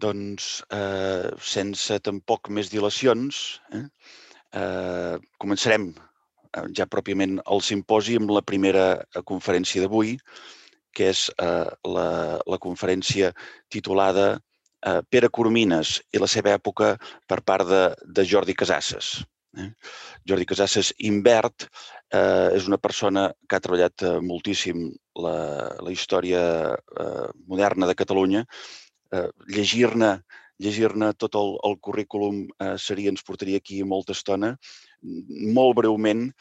Doncs, sense tampoc més dilacions, començarem ja pròpiament el simposi amb la primera conferència d'avui, que és la conferència titulada Pere Coromines i la seva època per part de Jordi Casasses. Jordi Casasses Imbert és una persona que ha treballat moltíssim la història moderna de Catalunya. Llegir-ne tot el currículum ens portaria aquí molta estona. Molt breument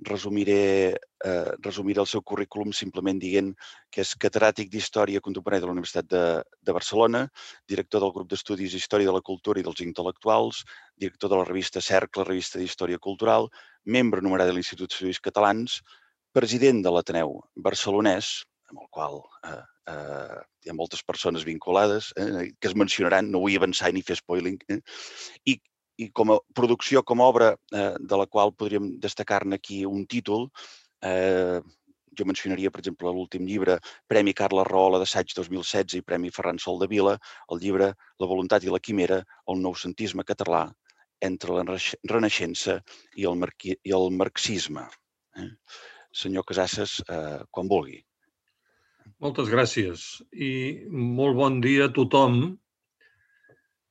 resumiré el seu currículum simplement dient que és catedràtic d'Història Contemporània de la Universitat de Barcelona, director del grup d'estudis Història de la Cultura i dels Intel·lectuals, director de la revista Cercle, revista d'Història Cultural, membre numerat de l'Institut d'Estudis Catalans, president de l'Ateneu Barcelonès, amb el qual hi ha moltes persones vinculades que es mencionaran, no vull avançar ni fer spoiling, i com a producció, com a obra de la qual podríem destacar-ne aquí un títol, jo mencionaria, per exemple, l'últim llibre, Premi Carles Rahola d'assaig 2016 i Premi Ferran Soldevila, el llibre La voluntat i la quimera, el noucentisme català entre la Renaixença i el marxisme. Senyor Casasses, quan vulgui. Moltes gràcies i molt bon dia a tothom.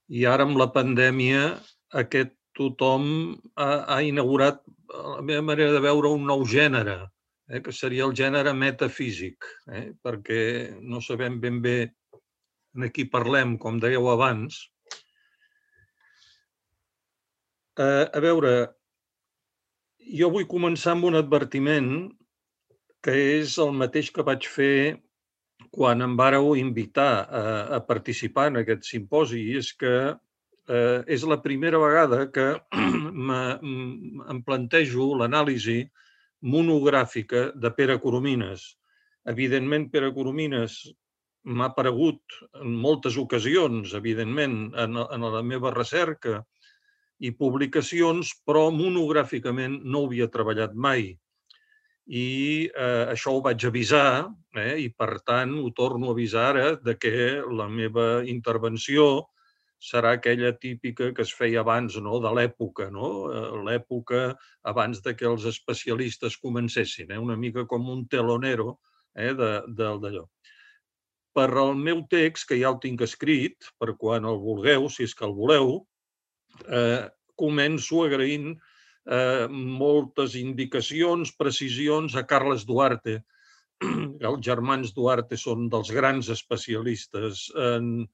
I ara amb la pandèmia aquest tothom ha inaugurat, a la meva manera de veure, un nou gènere, que seria el gènere metafísic, perquè no sabem ben bé de qui parlem, com dèieu abans. A veure, jo vull començar amb un advertiment que és el mateix que vaig fer quan em vàreu invitar a participar en aquest simposi, i és que és la primera vegada que em plantejo l'anàlisi monogràfica de Pere Coromines. Evidentment, Pere Coromines m'ha aparegut en moltes ocasions, evidentment, en la meva recerca i publicacions, però monogràficament no ho havia treballat mai. I això ho vaig avisar i, per tant, ho torno a avisar ara de que la meva intervenció serà aquella típica que es feia abans de l'època, l'època abans que els especialistes comencessin, una mica com un telonero d'allò. Per al meu text, que ja el tinc escrit, per quan el vulgueu, si és que el voleu, començo agraint moltes indicacions, precisions a Carles Duarte. Els germans Duarte són dels grans especialistes en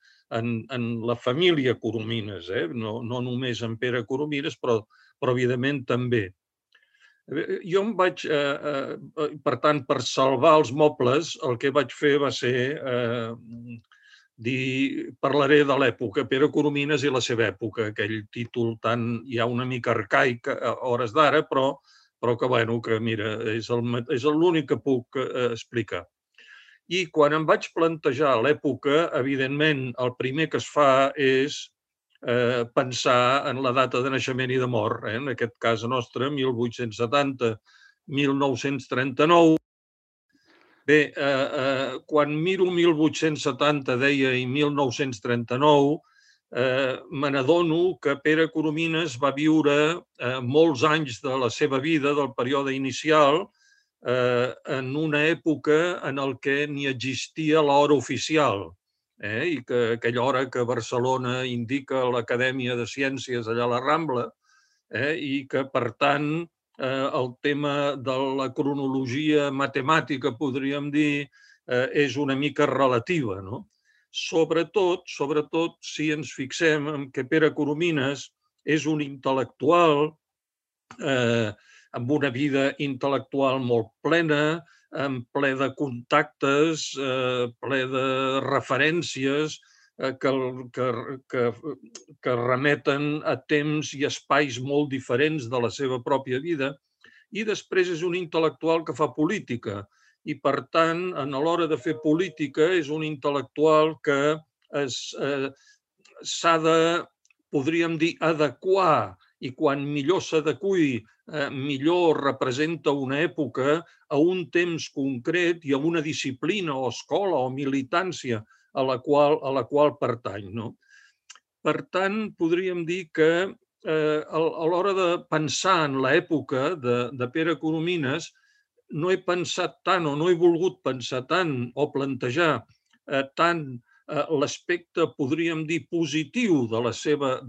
la família Coromines, no només en Pere Coromines, però evidentment també. Jo em vaig, per tant, per salvar els mobles, el que vaig fer va ser parlaré de l'època, Pere Coromines i la seva època, aquell títol tan ja una mica arcaic a hores d'ara, però que, mira, és l'únic que puc explicar. I quan em vaig plantejar l'època, evidentment, el primer que es fa és pensar en la data de naixement i de mort, en aquest cas nostre, 1870-1939. Bé, quan miro 1870, deia, i 1939, me n'adono que Pere Coromines va viure molts anys de la seva vida, del període inicial, en una època en què ni existia l'hora oficial, i que aquella hora que Barcelona indica l'Acadèmia de Ciències allà a la Rambla, i que, per tant, el tema de la cronologia matemàtica, podríem dir, és una mica relativa. Sobretot, si ens fixem en que Pere Coromines és un intel·lectual amb una vida intel·lectual molt plena, ple de contactes, ple de referències que remeten a temps i espais molt diferents de la seva pròpia vida. I després és un intel·lectual que fa política i, per tant, a l'hora de fer política és un intel·lectual que s'ha de, podríem dir, adequar, i quan millor s'adequi, millor representa una època a un temps concret i a una disciplina o escola o militància a la qual pertany. Per tant, podríem dir que a l'hora de pensar en l'època de Pere Coromines, no he pensat tant o no he volgut pensar tant o plantejar tant l'aspecte, podríem dir, positiu de la seva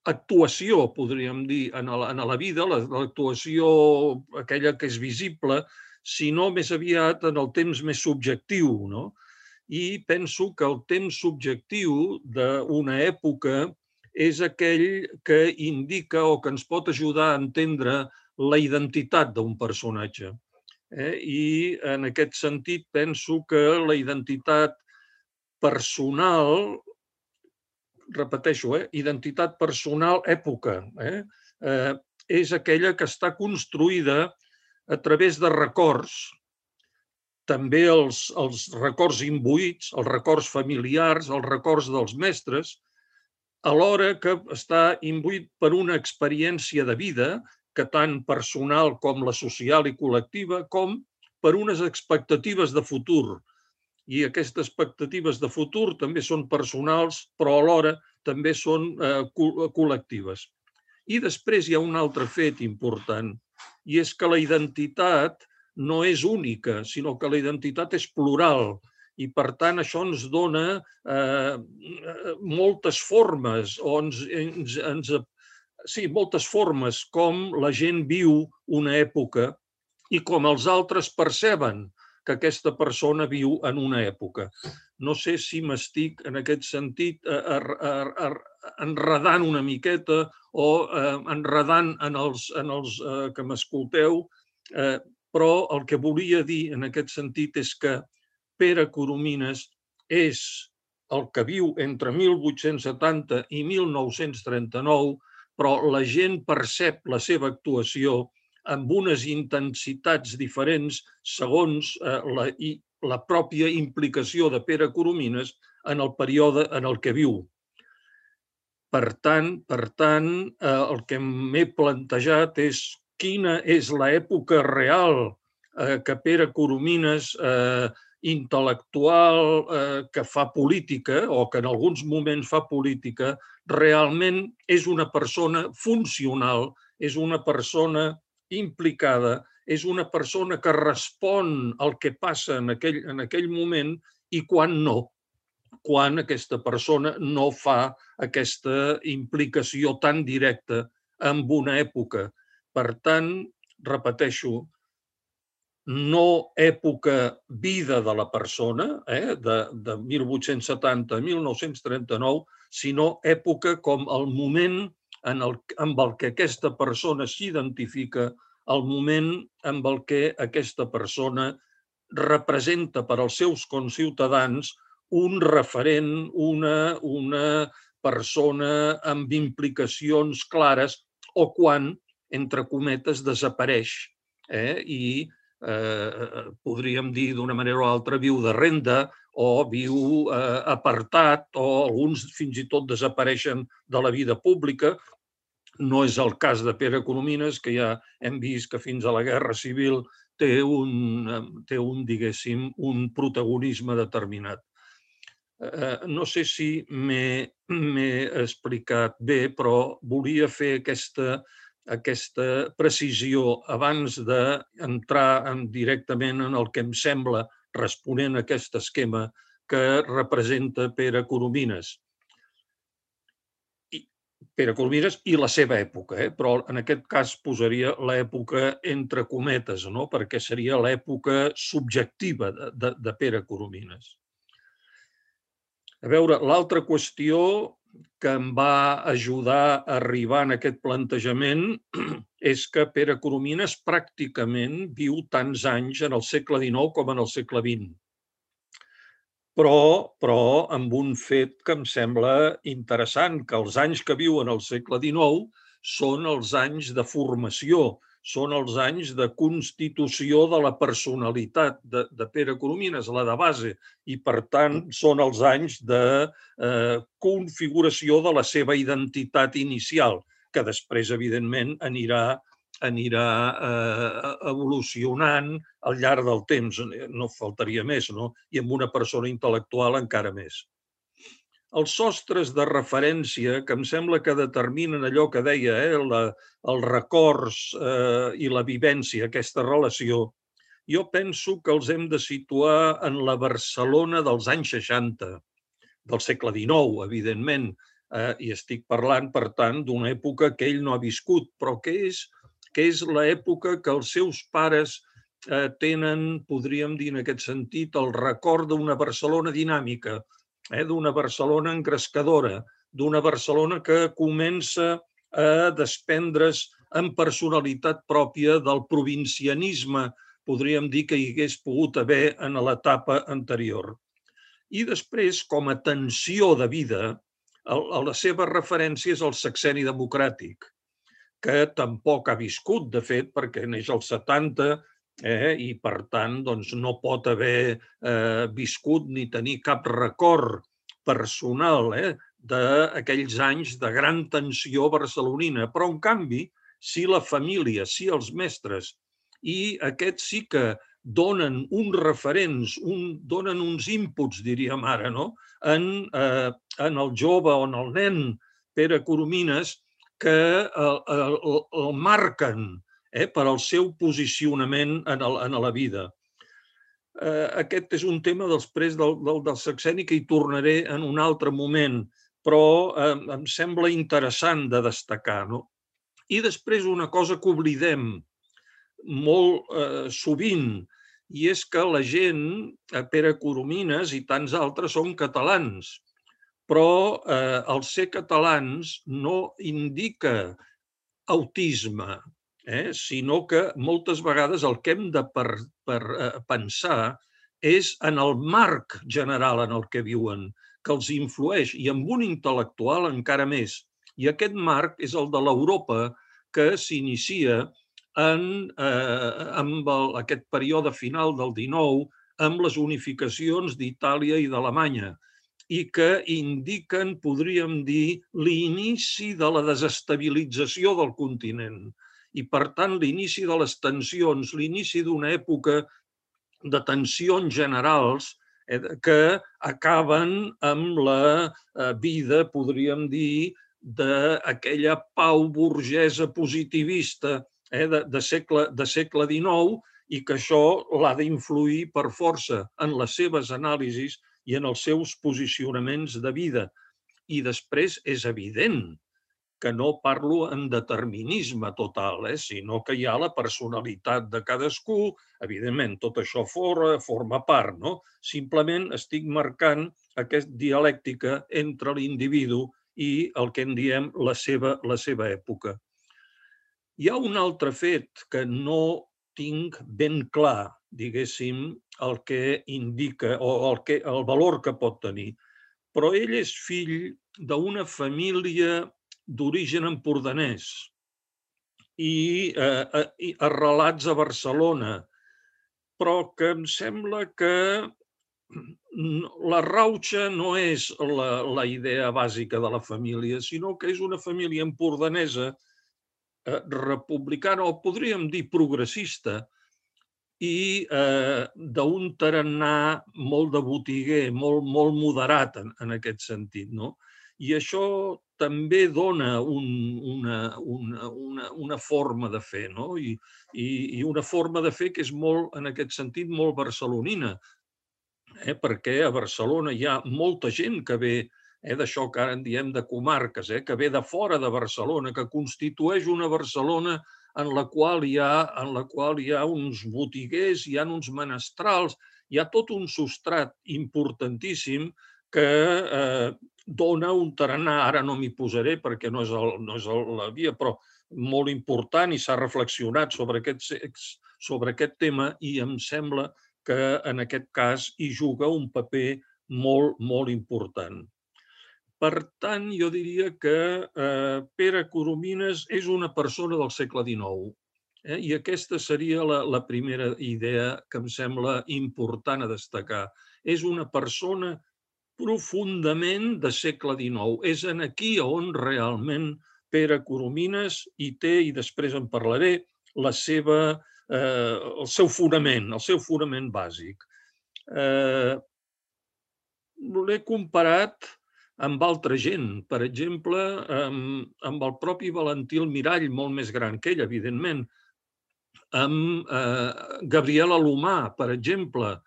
actuació, podríem dir, en la vida, l'actuació aquella que és visible, sinó més aviat en el temps més subjectiu, no? I penso que el temps subjectiu d'una època és aquell que indica o que ens pot ajudar a entendre la identitat d'un personatge. I en aquest sentit penso que la identitat personal, repeteixo, identitat personal, època, és aquella que està construïda a través de records, també els records imbuïts, els records familiars, els records dels mestres, alhora que està imbuït per una experiència de vida, que tant personal com la social i col·lectiva, com per unes expectatives de futur. I aquestes expectatives de futur també són personals, però alhora també són col·lectives. I després hi ha un altre fet important, i és que la identitat no és única, sinó que la identitat és plural. I, per tant, això ens dona moltes formes, moltes formes com la gent viu una època i com els altres perceben que aquesta persona viu en una època. No sé si m'estic, en aquest sentit, enredant una miqueta o enredant en els que m'escolteu, però el que volia dir en aquest sentit és que Pere Coromines és el que viu entre 1870 i 1939, però la gent percep la seva actuació amb unes intensitats diferents segons la pròpia implicació de Pere Coromines en el període en el que viu. Per tant, el que m'he plantejat és quina és l'època real que Pere Coromines, intel·lectual, que fa política o que en alguns moments fa política, realment és una persona funcional, és una persona implicada, és una persona que respon al que passa en aquell moment i quan no, quan aquesta persona no fa aquesta implicació tan directa amb una època. Per tant, repeteixo, no època vida de la persona, de 1870 a 1939, sinó època com el moment amb el que aquesta persona s'identifica, el moment amb el que aquesta persona representa per als seus conciutadans un referent, una persona amb implicacions clares o quan, entre cometes, desapareix i podríem dir d'una manera o altra viu de renda o viu apartat o alguns fins i tot desapareixen de la vida pública. No és el cas de Pere Coromines, que ja hem vist que fins a la Guerra Civil té diguéssim, un protagonisme determinat. No sé si m'he explicat bé, però volia fer aquesta precisió abans d'entrar directament en el que em sembla, responent a aquest esquema, que representa Pere Coromines. Pere Coromines i la seva època, però en aquest cas posaria l'època entre cometes, perquè seria l'època subjectiva de Pere Coromines. A veure, l'altra qüestió que em va ajudar a arribar en aquest plantejament és que Pere Coromines pràcticament viu tants anys en el segle XIX com en el segle XX. Però amb un fet que em sembla interessant, que els anys que viu en el segle XIX són els anys de formació, són els anys de constitució de la personalitat de Pere Coromines, la de base, i per tant són els anys de configuració de la seva identitat inicial, que després, evidentment, anirà anirà evolucionant al llarg del temps, no faltaria més, no? I amb una persona intel·lectual encara més. Els sostres de referència, que em sembla que determinen allò que deia, els records i la vivència, aquesta relació, jo penso que els hem de situar en la Barcelona dels anys 60, del segle XIX, evidentment, i estic parlant, per tant, d'una època que ell no ha viscut, però que és l'època que els seus pares tenen, podríem dir en aquest sentit, el record d'una Barcelona dinàmica, d'una Barcelona engrescadora, d'una Barcelona que comença a desprendre's amb personalitat pròpia del provincianisme, podríem dir que hi hagués pogut haver en l'etapa anterior. I després, com a tensió de vida, la seva referència és el sexenni democràtic, que tampoc ha viscut, de fet, perquè neix als 70 i, per tant, no pot haver viscut ni tenir cap record personal d'aquells anys de gran tensió barcelonina. Però, en canvi, sí la família, sí els mestres, i aquests sí que donen uns referents, donen uns inputs, diríem ara, no? En el jove o en el nen Pere Coromines, que el marquen per al seu posicionament en la vida. Aquest és un tema després del sexenni que hi tornaré en un altre moment, però em sembla interessant de destacar, no? I després una cosa que oblidem molt sovint, i és que la gent, Pere Coromines i tants altres, són catalans, però el ser catalans no indica autisme, sinó que moltes vegades el que hem de pensar és en el marc general en el que viuen, que els influeix, i amb un intel·lectual encara més. I aquest marc és el de l'Europa que s'inicia amb aquest període final del XIX, amb les unificacions d'Itàlia i d'Alemanya, i que indiquen, podríem dir, l'inici de la desestabilització del continent i, per tant, l'inici de les tensions, l'inici d'una època de tensions generals que acaben amb la vida, podríem dir, d'aquella pau burgesa positivista de segle XIX, i que això l'ha d'influir per força en les seves anàlisis i en els seus posicionaments de vida. I després és evident que no parlo en determinisme total, sinó que hi ha la personalitat de cadascú, evidentment tot això forma part, no? Simplement estic marcant aquesta dialèctica entre l'individu i el que en diem la seva època. Hi ha un altre fet que no tinc ben clar, diguéssim, el que indica o el valor que pot tenir, però ell és fill d'una família d'origen empordanès i arrelats a Barcelona, però que em sembla que la rauxa no és la idea bàsica de la família, sinó que és una família empordanesa republicana, o podríem dir progressista, i d'un tarannà molt de botiguer, molt moderat en aquest sentit, no? I això també dona una forma de fer, no? I una forma de fer que és molt, en aquest sentit, molt barcelonina, perquè a Barcelona hi ha molta gent que ve d'això que ara en diem de comarques, que ve de fora de Barcelona, que constitueix una Barcelona en la qual hi ha uns botiguers, hi ha uns menestrals, hi ha tot un substrat importantíssim que dona un tarannà. Ara no m'hi posaré perquè no és la via, però molt important, i s'ha reflexionat sobre aquest tema, i em sembla que en aquest cas hi juga un paper molt, molt important. Per tant, jo diria que Pere Coromines és una persona del segle XIX, i aquesta seria la primera idea que em sembla important a destacar. És una persona profundament de segle XIX. És aquí on realment Pere Coromines hi té, i després en parlaré, el seu fonament bàsic. L'he comparat amb altra gent, per exemple, amb el propi Valentí Almirall, molt més gran que ell, evidentment, amb Gabriel Alomar, per exemple,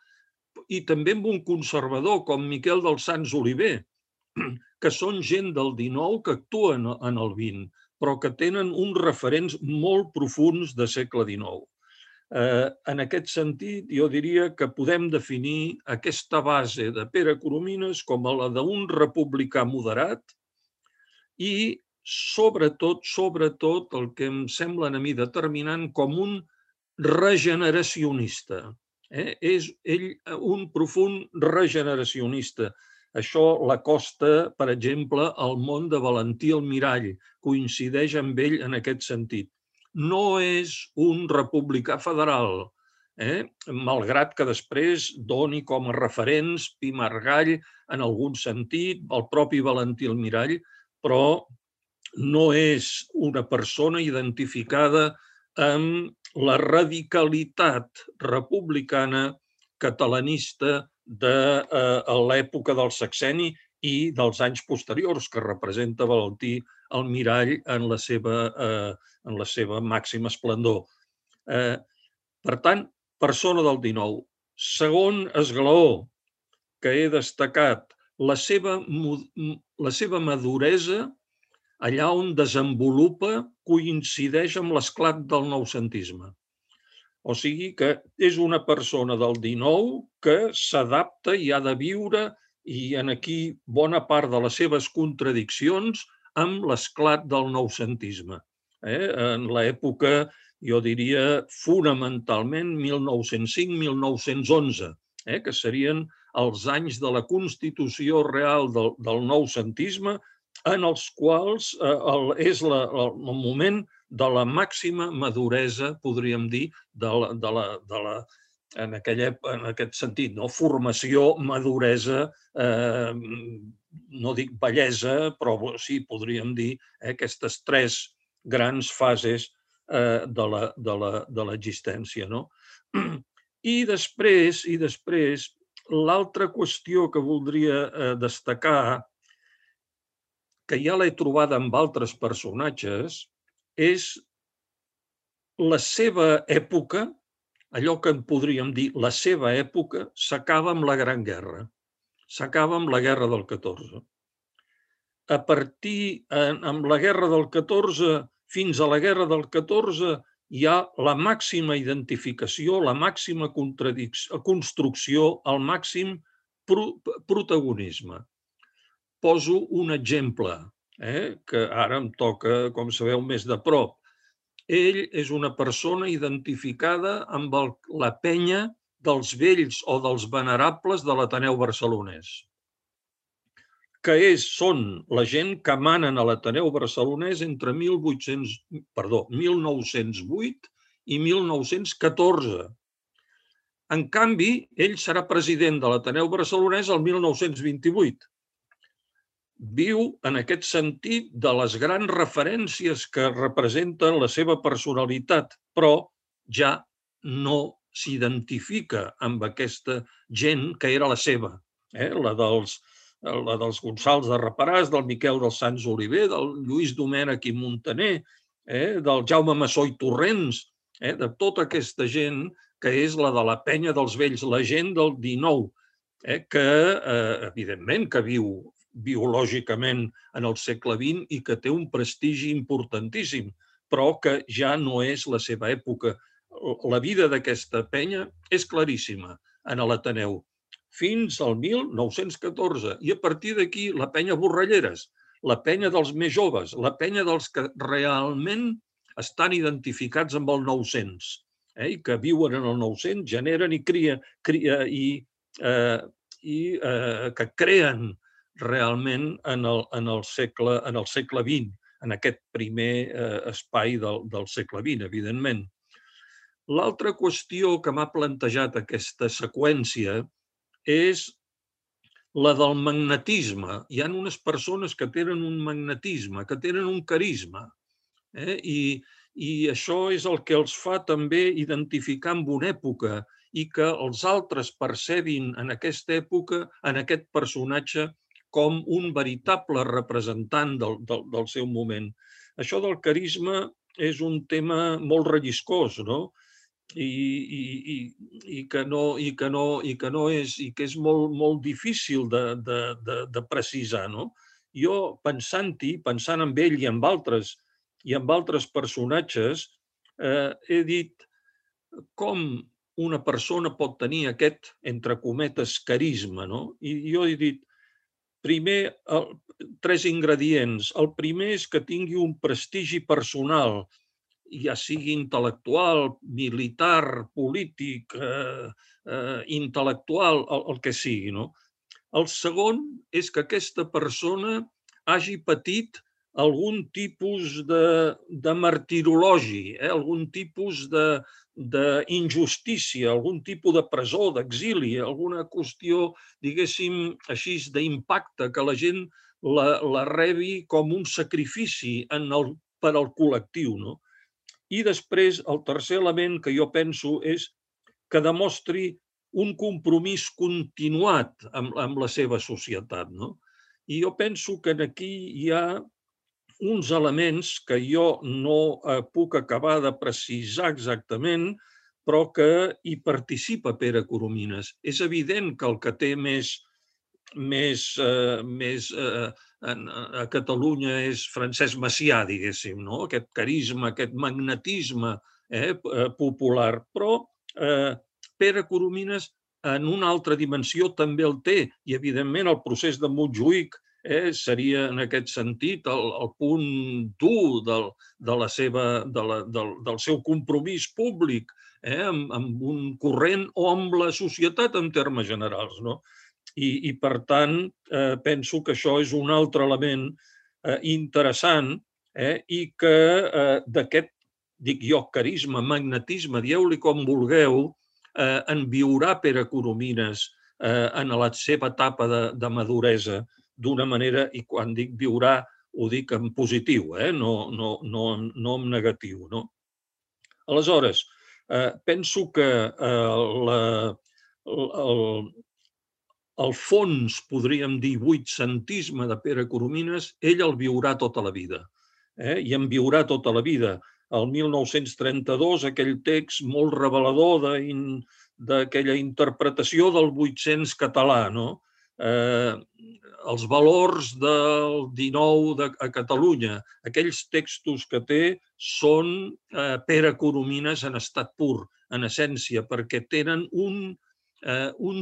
i també amb un conservador com Miquel dels Sants Oliver, que són gent del XIX que actuen en el XX, però que tenen uns referents molt profuns de segle XIX. En aquest sentit, jo diria que podem definir aquesta base de Pere Coromines com la d'un republicà moderat i, sobretot, el que em sembla a mi determinant, com un regeneracionista. És ell un profund regeneracionista. Això l'acosta, per exemple, al món de Valentí Almirall, coincideix amb ell en aquest sentit. No és un republicà federal, malgrat que després doni com a referents Pi i Margall en algun sentit, el propi Valentí Almirall, però no és una persona identificada amb la radicalitat republicana catalanista de l'època del sexenni i dels anys posteriors que representa Valentí Almirall en la seva màxima esplendor. Per tant, persona del XIX. Segon esglaó que he destacat, la seva maduresa allà on desenvolupa coincideix amb l'esclat del noucentisme. O sigui que és una persona del XIX que s'adapta i ha de viure, i en aquí bona part de les seves contradiccions, amb l'esclat del noucentisme. En l'època, jo diria, fonamentalment 1905-1911, que serien els anys de la constitució real del noucentisme, en els quals és el moment de la màxima maduresa, podríem dir, en aquest sentit, formació, maduresa, no dic bellesa, però sí, podríem dir, aquestes tres grans fases de l'existència. I després, l'altra qüestió que voldria destacar, que ja l'he trobada amb altres personatges, és la seva època, allò que en podríem dir la seva època, s'acaba amb la Gran Guerra, s'acaba amb la Guerra del 14. A partir, amb la Guerra del 14, fins a la Guerra del 14, hi ha la màxima identificació, la màxima construcció, el màxim protagonisme. Poso un exemple, que ara em toca, com sabeu, més de prop. Ell és una persona identificada amb la penya dels vells o dels venerables de l'Ateneu Barcelonès, que són la gent que manen a l'Ateneu Barcelonès entre 1908 i 1914. En canvi, ell serà president de l'Ateneu Barcelonès el 1928. Viu, en aquest sentit, de les grans referències que representen la seva personalitat, però ja no s'identifica amb aquesta gent que era la seva, la dels Gonçals de Reparàs, del Miquel dels Sants Oliver, del Lluís Domènech i Muntaner, del Jaume Massó i Torrents, de tota aquesta gent que és la de la penya dels vells, la gent del XIX, que, evidentment, que viu biològicament en el segle XX i que té un prestigi importantíssim, però que ja no és la seva època. La vida d'aquesta penya és claríssima en l'Ateneu, fins al 1914. I a partir d'aquí la penya Borralleres, la penya dels més joves, la penya dels que realment estan identificats amb el 900 i que viuen en el 900, generen i que creen realment en el segle XX, en aquest primer espai del segle XX, evidentment. L'altra qüestió que m'ha plantejat aquesta seqüència és la del magnetisme. Hi ha unes persones que tenen un magnetisme, que tenen un carisma, i I això és el que els fa també identificar amb una època i que els altres percebin en aquesta època, en aquest personatge, com un veritable representant del seu moment. Això del carisma és un tema molt relliscós, no? I que és molt difícil de precisar, no? Jo, pensant-hi, pensant en ell i amb altres personatges, he dit com una persona pot tenir aquest, entre cometes, carisma, no? I jo he dit, primer, 3 ingredients. El primer és que tingui un prestigi personal, ja sigui intel·lectual, militar, polític, intel·lectual, el que sigui, no? El segon és que aquesta persona hagi patit algun tipus de martirologi, algun tipus d'injustícia, algun tipus de presó, d'exili, alguna qüestió, diguéssim, així d'impacte, que la gent la rebi com un sacrifici per al col·lectiu, no? I després, el tercer element que jo penso és que demostri un compromís continuat amb la seva societat, no? I jo penso que aquí hi ha uns elements que jo no puc acabar de precisar exactament, però que hi participa Pere Coromines. És evident que el que té a Catalunya és Francesc Macià, diguéssim, no? Aquest carisma, aquest magnetisme popular. Però Pere Coromines, en una altra dimensió, també el té. I, evidentment, el procés de Montjuïc seria, en aquest sentit, el punt dur del seu compromís públic amb un corrent o amb la societat en termes generals, no? I per tant, penso que això és un altre element interessant i que d'aquest, dic jo, carisma, magnetisme, dieu-li com vulgueu, en viurà Pere Coromines en la seva etapa de maduresa d'una manera, i quan dic viurà ho dic en positiu, no en negatiu, no? Aleshores, penso que el fons, podríem dir, vuitcentisme de Pere Coromines, ell el viurà tota la vida. I en viurà tota la vida. El 1932, aquell text molt revelador d'aquella interpretació del 800 català, no? Els valors del 19 a Catalunya, aquells textos que té són Pere Coromines en estat pur, en essència, perquè tenen un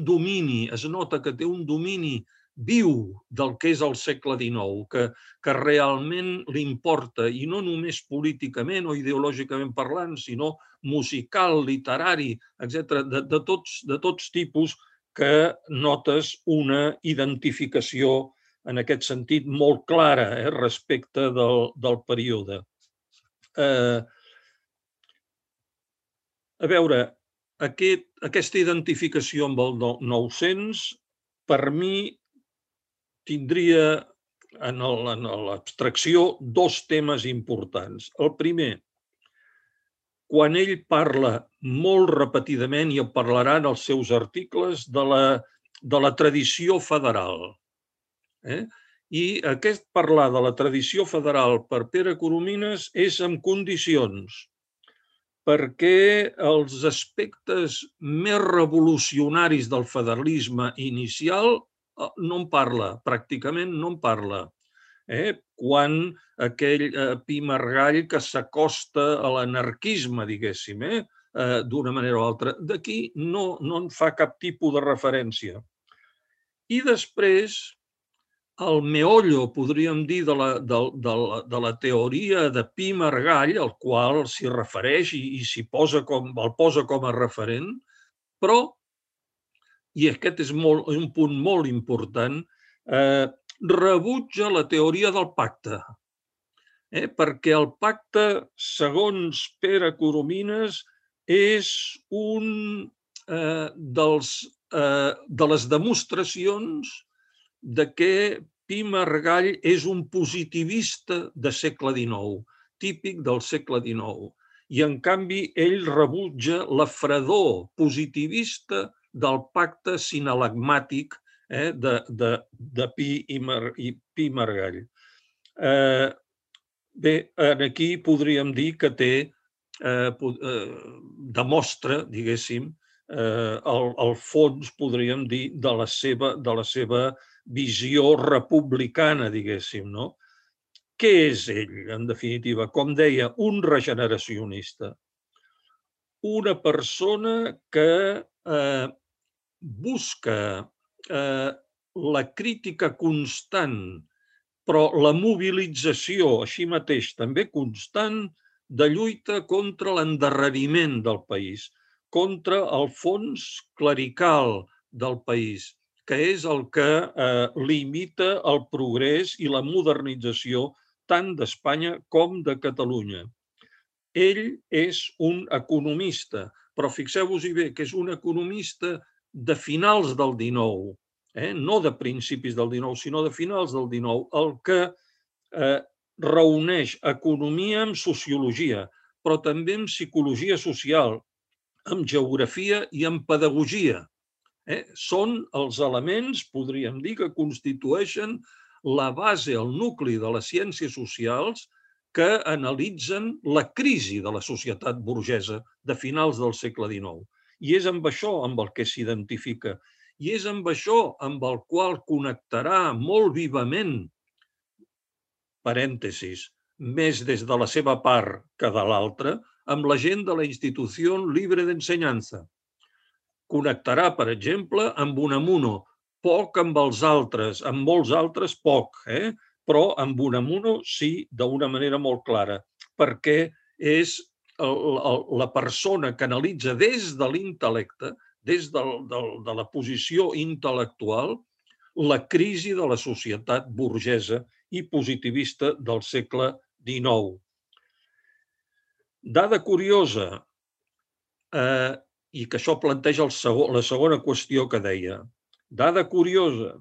domini, es nota que té un domini viu del que és el segle XIX, que realment li importa, i no només políticament o ideològicament parlant, sinó musical, literari, etc., de tots tipus, que notes una identificació en aquest sentit molt clara respecte del període. A veure, aquesta identificació amb el 900, per mi, tindria en l'abstracció dos temes importants. El primer, quan ell parla molt repetidament, i en parlarà en els seus articles, de la tradició federal. I aquest parlar de la tradició federal per Pere Coromines és en condicions, perquè els aspectes més revolucionaris del federalisme inicial no en parla, pràcticament no en parla. Quan aquell Pi Margall que s'acosta a l'anarquisme, diguéssim, d'una manera o altra, d'aquí no en fa cap tipus de referència. I després, el meollo, podríem dir, de la teoria de Pi Margall, al qual s'hi refereix i el posa com a referent, però, i aquest és un punt molt important, rebutja la teoria del pacte, perquè el pacte, segons Pere Coromines, és un de les demostracions de que Pi Margall és un positivista de segle XIX. típic del segle XIX. I, en canvi, ell rebutja la fredor positivista del pacte sinalagmàtic de Pi i Margall. Bé, aquí podríem dir que demostra, diguéssim, el fons, podríem dir, de la seva visió republicana, diguéssim, no? Què és ell, en definitiva? Com deia, un regeneracionista. Una persona que busca la crítica constant, però la mobilització, així mateix, també constant, de lluita contra l'endarreriment del país, contra el fons clerical del país, que és el que limita el progrés i la modernització tant d'Espanya com de Catalunya. Ell és un economista, però fixeu-vos-hi bé que és un economista de finals del XIX, no de principis del XIX, sinó de finals del XIX, el que reuneix economia amb sociologia, però també amb psicologia social, amb geografia i amb pedagogia. Són els elements, podríem dir, que constitueixen la base, el nucli de les ciències socials que analitzen la crisi de la societat burgesa de finals del segle XIX. I és amb això amb el que s'identifica. I és amb això amb el qual connectarà molt vivament, parèntesis, més des de la seva part que de l'altra, amb la gent de la Institució Libre d'Ensenyança. Connectarà, per exemple, amb Unamuno, poc amb els altres, amb molts altres poc, però amb Unamuno sí, d'una manera molt clara, perquè és la persona que analitza des de l'intel·lecte, des de la posició intel·lectual, la crisi de la societat burgesa i positivista del segle XIX. Dada curiosa, i que això planteja la segona qüestió que deia. Dada curiosa,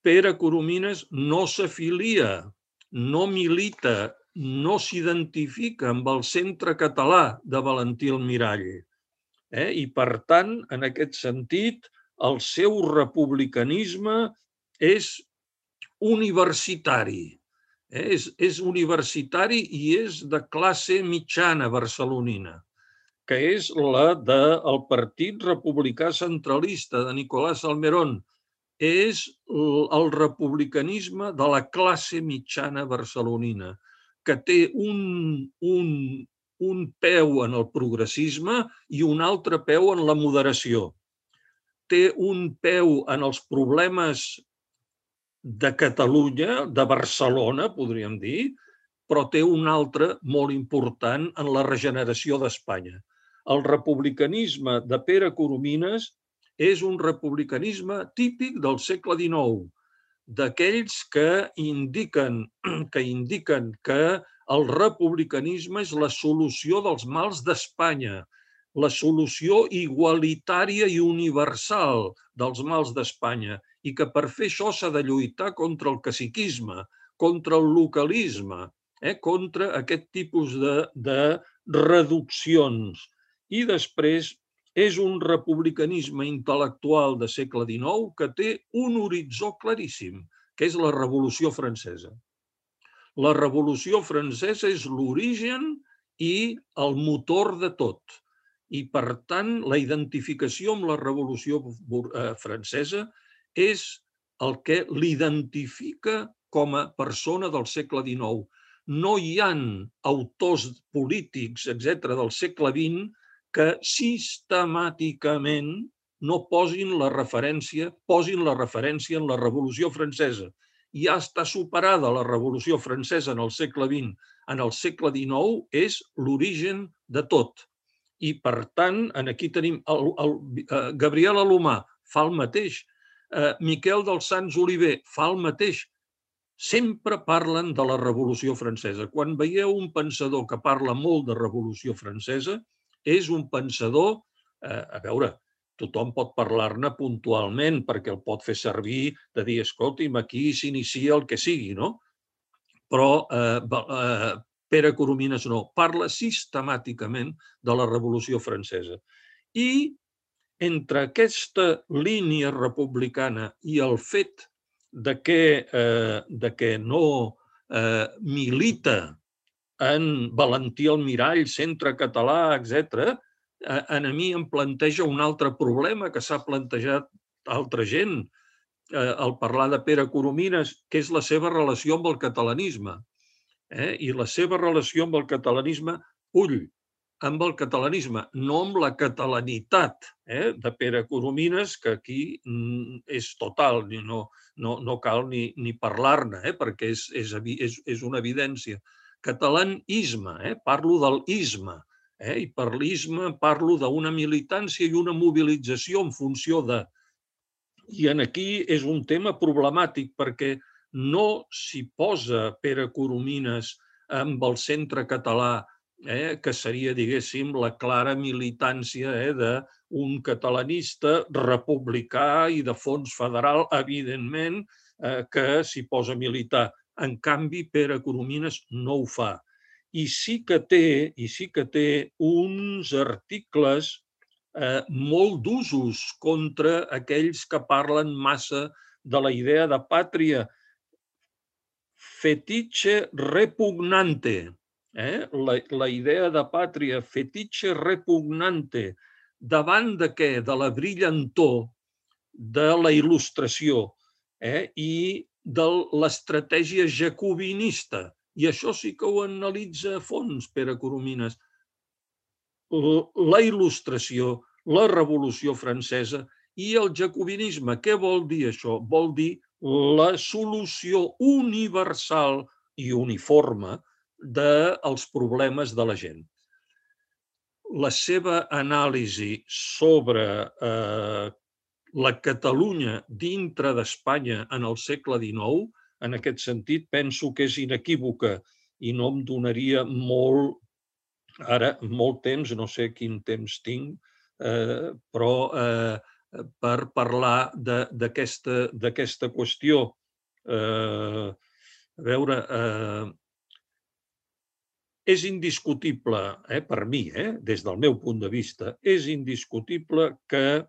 Pere Coromines no s'afilia, no milita, no s'identifica amb el Centre Català de Valentí Almirall. I, per tant, en aquest sentit, el seu republicanisme és universitari. És universitari i és de classe mitjana barcelonina, que és la del Partit Republicà Centralista de Nicolás Salmerón. És el republicanisme de la classe mitjana barcelonina, que té un peu en el progressisme i un altre peu en la moderació. Té un peu en els problemes de Catalunya, de Barcelona, podríem dir, però té un altre molt important en la regeneració d'Espanya. El republicanisme de Pere Coromines és un republicanisme típic del segle XIX, d'aquells que indiquen que el republicanisme és la solució dels mals d'Espanya, la solució igualitària i universal dels mals d'Espanya, i que per fer això s'ha de lluitar contra el caciquisme, contra el localisme, contra aquest tipus de reduccions. I després és un republicanisme intel·lectual del segle XIX que té un horitzó claríssim, que és la Revolució Francesa. La Revolució Francesa és l'origen i el motor de tot. I, per tant, la identificació amb la Revolució Francesa és el que l'identifica com a persona del segle XIX. No hi ha autors polítics, etc., del segle XX que sistemàticament no posin la referència en la Revolució Francesa. Ja està superada la Revolució Francesa en el segle XX. En el segle XIX és l'origen de tot. I, per tant, aquí tenim Gabriel Alomar, fa el mateix. Miquel dels Sants Oliver fa el mateix. Sempre parlen de la Revolució Francesa. Quan veieu un pensador que parla molt de Revolució Francesa, és un pensador, a veure, tothom pot parlar-ne puntualment perquè el pot fer servir de dir, escolti'm, aquí s'inicia el que sigui, no? Però Pere Coromines no, parla sistemàticament de la Revolució Francesa. I entre aquesta línia republicana i el fet de que no milita en Valentí Almirall, Centre Català, etc., a mi em planteja un altre problema que s'ha plantejat altra gent al parlar de Pere Coromines, que és la seva relació amb el catalanisme. I la seva relació amb el catalanisme, amb el catalanisme, no amb la catalanitat de Pere Coromines, que aquí és total, no cal ni parlar-ne, perquè és una evidència. Catalanisme, parlo del isme, i per l'isme parlo d'una militància i una mobilització en funció de... I aquí és un tema problemàtic perquè no s'hi posa Pere Coromines amb el Centre Català, que seria, diguéssim, la clara militància d'un catalanista republicà i de fons federal, evidentment, que s'hi posa a militar. En canvi, Pere Coromines no ho fa. I sí que té uns articles molt d'usos contra aquells que parlen massa de la idea de pàtria. Fetiche repugnante. La idea de pàtria, fetiche repugnante. Davant de què? De la brillantor de la il·lustració i de l'estratègia jacobinista. I això sí que ho analitza a fons, Pere Coromines. La il·lustració, la Revolució Francesa i el jacobinisme. Què vol dir això? Vol dir la solució universal i uniforme dels problemes de la gent. La seva anàlisi sobre la Catalunya dintre d'Espanya en el segle XIX, en aquest sentit, penso que és inequívoca i no em donaria molt temps, no sé quin temps tinc, però per parlar d'aquesta qüestió. A veure, és indiscutible, per mi, des del meu punt de vista, és indiscutible que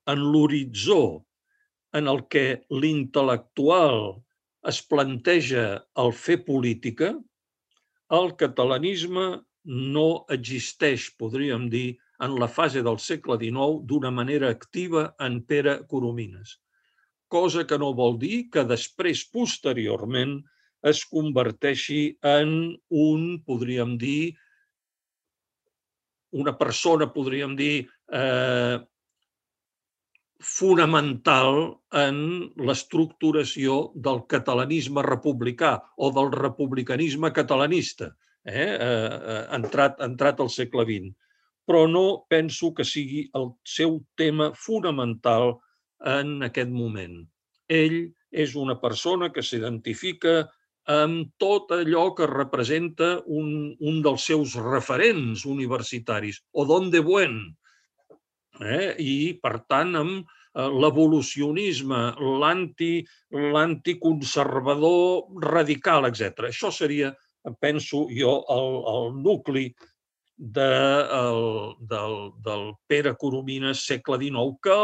en l'horitzó en el que l'intel·lectual es planteja el fer política, el catalanisme no existeix, podríem dir, en la fase del segle XIX d'una manera activa en Pere Coromines. Cosa que no vol dir que després, posteriorment, es converteixi en podríem dir, una persona, podríem dir, fonamental en l'estructuració del catalanisme republicà o del republicanisme catalanista, entrat al segle XX. Però no penso que sigui el seu tema fonamental en aquest moment. Ell és una persona que s'identifica amb tot allò que representa un dels seus referents universitaris, Odón de Buen, i, per tant, amb l'evolucionisme, l'anticonservador radical, etc. Això seria, penso jo, el nucli del Pere Coromines segle XIX, que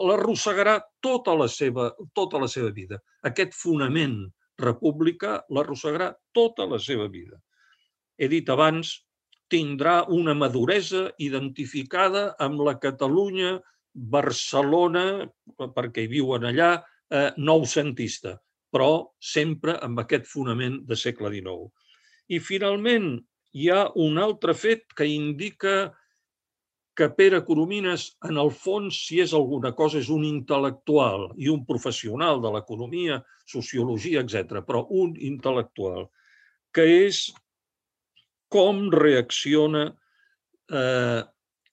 l'arrossegarà tota la seva vida. Aquest fonament republicà l'arrossegarà tota la seva vida. He dit abans, tindrà una maduresa identificada amb la Catalunya, Barcelona, perquè hi viuen allà, noucentista, però sempre amb aquest fonament de segle XIX. I finalment hi ha un altre fet que indica que Pere Coromines, en el fons, si és alguna cosa, és un intel·lectual i un professional de l'economia, sociologia, etc., però un intel·lectual, que és com reacciona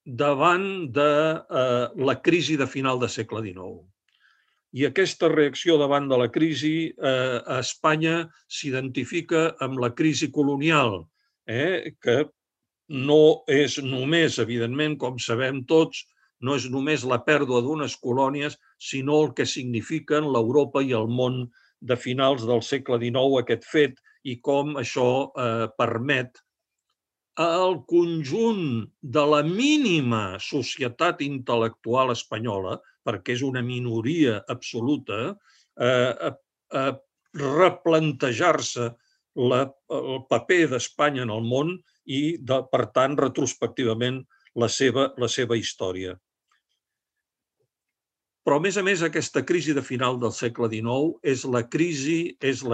davant de la crisi de final de segle XIX. I aquesta reacció davant de la crisi a Espanya s'identifica amb la crisi colonial, que no és només, evidentment, com sabem tots, no és només la pèrdua d'unes colònies, sinó el que signifiquen l'Europa i el món de finals del segle XIX, aquest fet, i com això permet al conjunt de la mínima societat intel·lectual espanyola, perquè és una minoria absoluta, replantejar-se el paper d'Espanya en el món i, per tant, retrospectivament, la seva història. Però, a més, aquesta crisi de final del segle XIX és la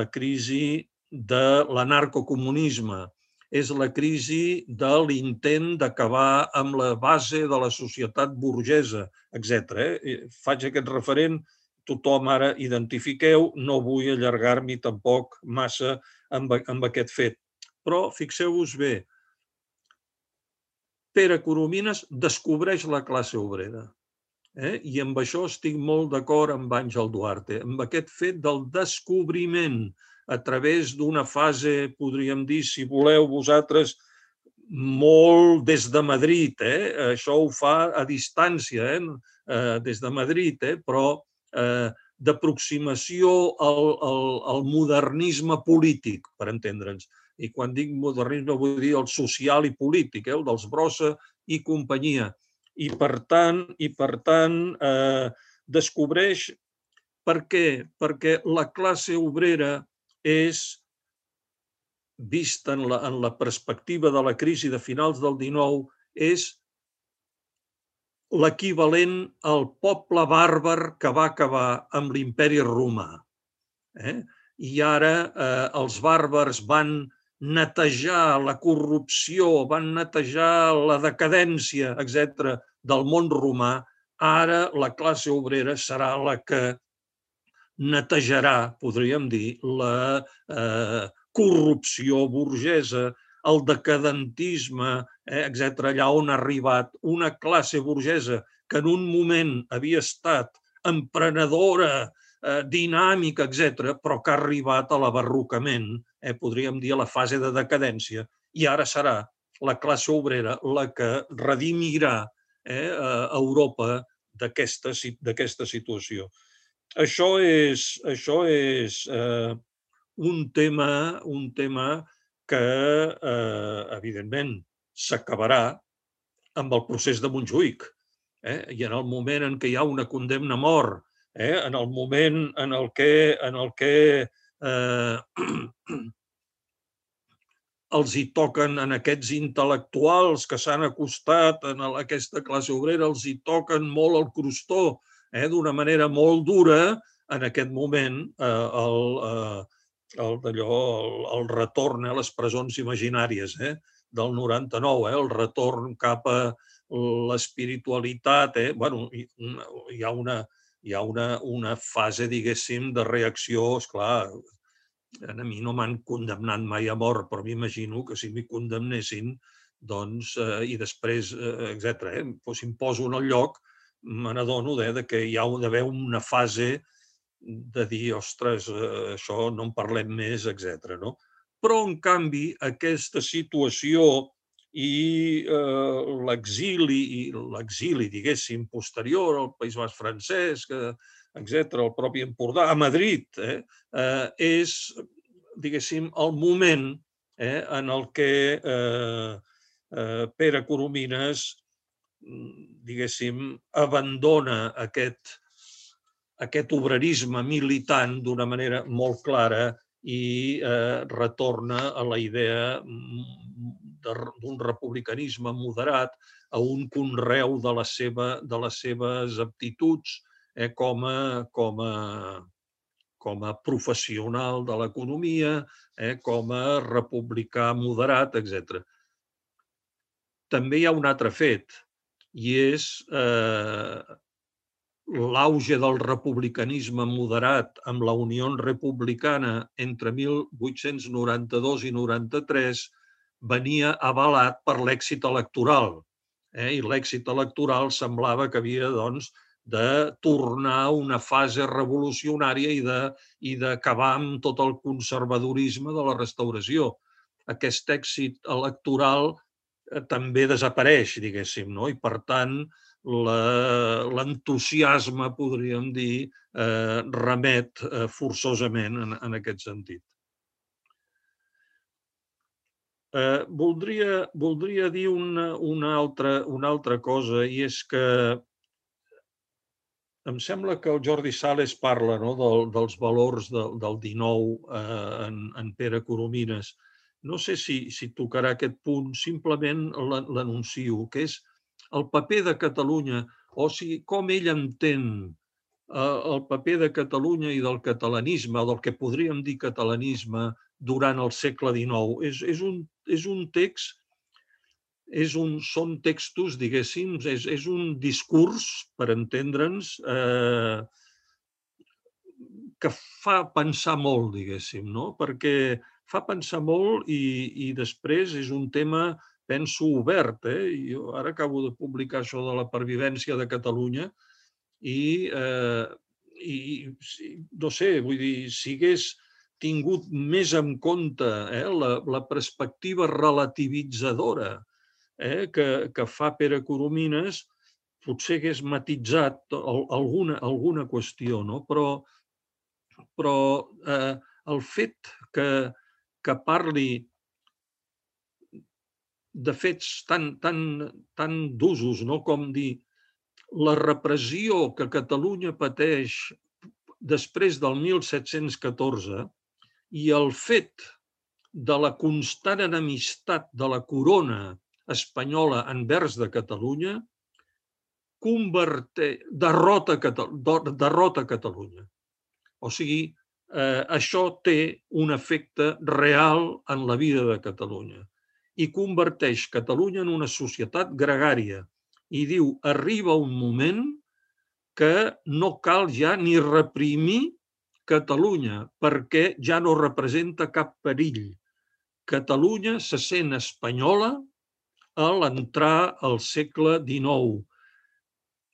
crisi de l'anarcocomunisme, és la crisi de l'intent d'acabar amb la base de la societat burgesa, etc. Faig aquest referent, tothom ara identifiqueu, no vull allargar-m'hi tampoc massa amb aquest fet. Però fixeu-vos bé, Pere Coromines descobreix la classe obrera. I amb això estic molt d'acord amb Àngel Duarte, amb aquest fet del descobriment a través d'una fase, podríem dir, si voleu vosaltres, molt des de Madrid. Això ho fa a distància, des de Madrid, però d'aproximació al modernisme polític, per entendre'ns. I quan dic modernisme vull dir el social i polític, el dels Brossa i companyia. I per tant, descobreix per què? Perquè la classe obrera és, vista en la perspectiva de la crisi de finals del XIX, és l'equivalent al poble bàrbar que va acabar amb l'imperi romà. I ara els bàrbars van netejar la corrupció, van netejar la decadència, etc., del món romà. Ara la classe obrera serà la que netejarà, podríem dir, la corrupció burgesa, el decadentisme, etc., allà on ha arribat una classe burgesa que en un moment havia estat emprenedora, dinàmica, etc., però que ha arribat a l'abarrocament, podríem dir a la fase de decadència, i ara serà la classe obrera la que redimirà Europa d'aquesta situació. Això és un tema que, evidentment, s'acabarà amb el procés de Montjuïc. I en el moment en què hi ha una condemna a mort, en el moment en el que els hi toquen en aquests intel·lectuals que s'han acostat a aquesta classe obrera, els hi toquen molt el crostó d'una manera molt dura, en aquest moment el retorn a les presons imaginàries del 99, el retorn cap a l'espiritualitat. Hi ha una fase, diguéssim, de reacció, esclar. A mi no m'han condemnat mai a mort, però m'imagino que si m'hi condemnessin, doncs, i després, etc., si em poso en el lloc, me n'adono que hi ha d'haver una fase de dir, ostres, això no en parlem més, etc. Però, en canvi, aquesta situació i l'exili, diguéssim, posterior al País Basc francès, etc., el propi Empordà, a Madrid, és, diguéssim, el moment en el que Pere Coromines, diguéssim, abandona aquest obrerisme militant d'una manera molt clara i retorna a la idea d'un republicanisme moderat, a un conreu de les seves aptituds com a professional de l'economia, com a republicà moderat, etc. També hi ha un altre fet, i és l'auge del republicanisme moderat amb la Unió Republicana entre 1892 i 93 venia avalat per l'èxit electoral. I l'èxit electoral semblava que havia, doncs, de tornar a una fase revolucionària i d'acabar amb tot el conservadorisme de la restauració. Aquest èxit electoral també desapareix, diguéssim, i per tant l'entusiasme, podríem dir, remet forçosament en aquest sentit. Voldria dir una altra cosa, i és que em sembla que el Jordi Sales parla dels valors del 19 en Pere Coromines. No sé si tocarà aquest punt, simplement l'anuncio, que és el paper de Catalunya, o sigui, com ell entén el paper de Catalunya i del catalanisme, del que podríem dir catalanisme, durant el segle XIX. És un text, són textos, diguéssim, és un discurs, per entendre'ns, que fa pensar molt, diguéssim, no? Perquè fa pensar molt i després és un tema, penso, obert. Jo ara acabo de publicar això de la pervivència de Catalunya i no sé, vull dir, si hagués tingut més en compte la perspectiva relativitzadora que fa Pere Coromines, potser hagués matitzat alguna qüestió, no? Però el fet que parli de fets tan d'usos, no? Com dir la repressió que Catalunya pateix després del 1714 i el fet de la constant enemistat de la corona espanyola envers de Catalunya derrota Catalunya. O sigui, això té un efecte real en la vida de Catalunya i converteix Catalunya en una societat gregària. I diu, arriba un moment que no cal ja ni reprimir Catalunya perquè ja no representa cap perill. Catalunya se sent espanyola a l'entrar al segle XIX.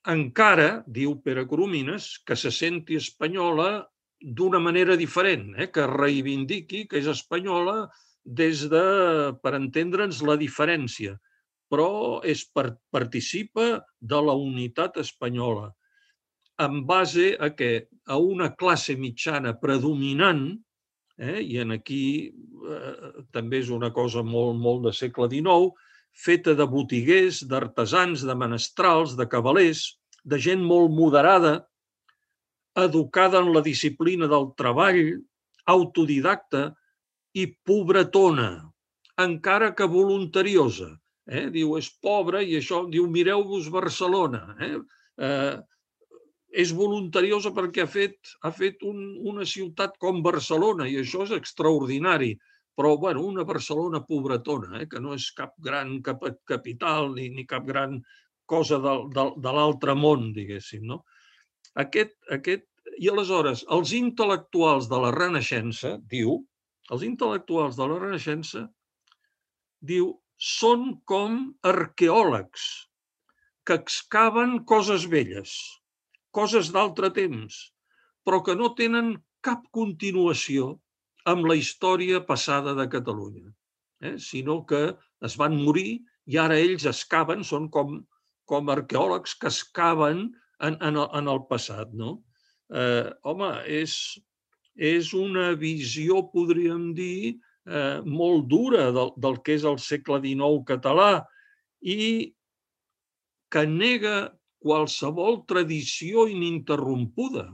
Encara, diu Pere Coromines, que se senti espanyola d'una manera diferent, que reivindiqui que és espanyola des de, per entendre'ns, la diferència, però participa de la unitat espanyola en base a què? A una classe mitjana predominant, i aquí també és una cosa molt de segle XIX, feta de botiguers, d'artesans, de menestrals, de cavalers, de gent molt moderada, educada en la disciplina del treball, autodidacta i pobretona, encara que voluntariosa. Diu, és pobra i això, diu, mireu-vos Barcelona. És voluntariosa perquè ha fet una ciutat com Barcelona i això és extraordinari. Però, bueno, una Barcelona pobretona, que no és cap gran capital ni cap gran cosa de l'altre món, diguéssim, no? I aleshores, els intel·lectuals de la Renaixença, diu, són com arqueòlegs que excaven coses velles, coses d'altre temps, però que no tenen cap continuació amb la història passada de Catalunya, sinó que es van morir i ara ells excaven, són com arqueòlegs que excaven en el passat. Home, és una visió, podríem dir, molt dura del que és el segle XIX català i que nega qualsevol tradició ininterrompuda.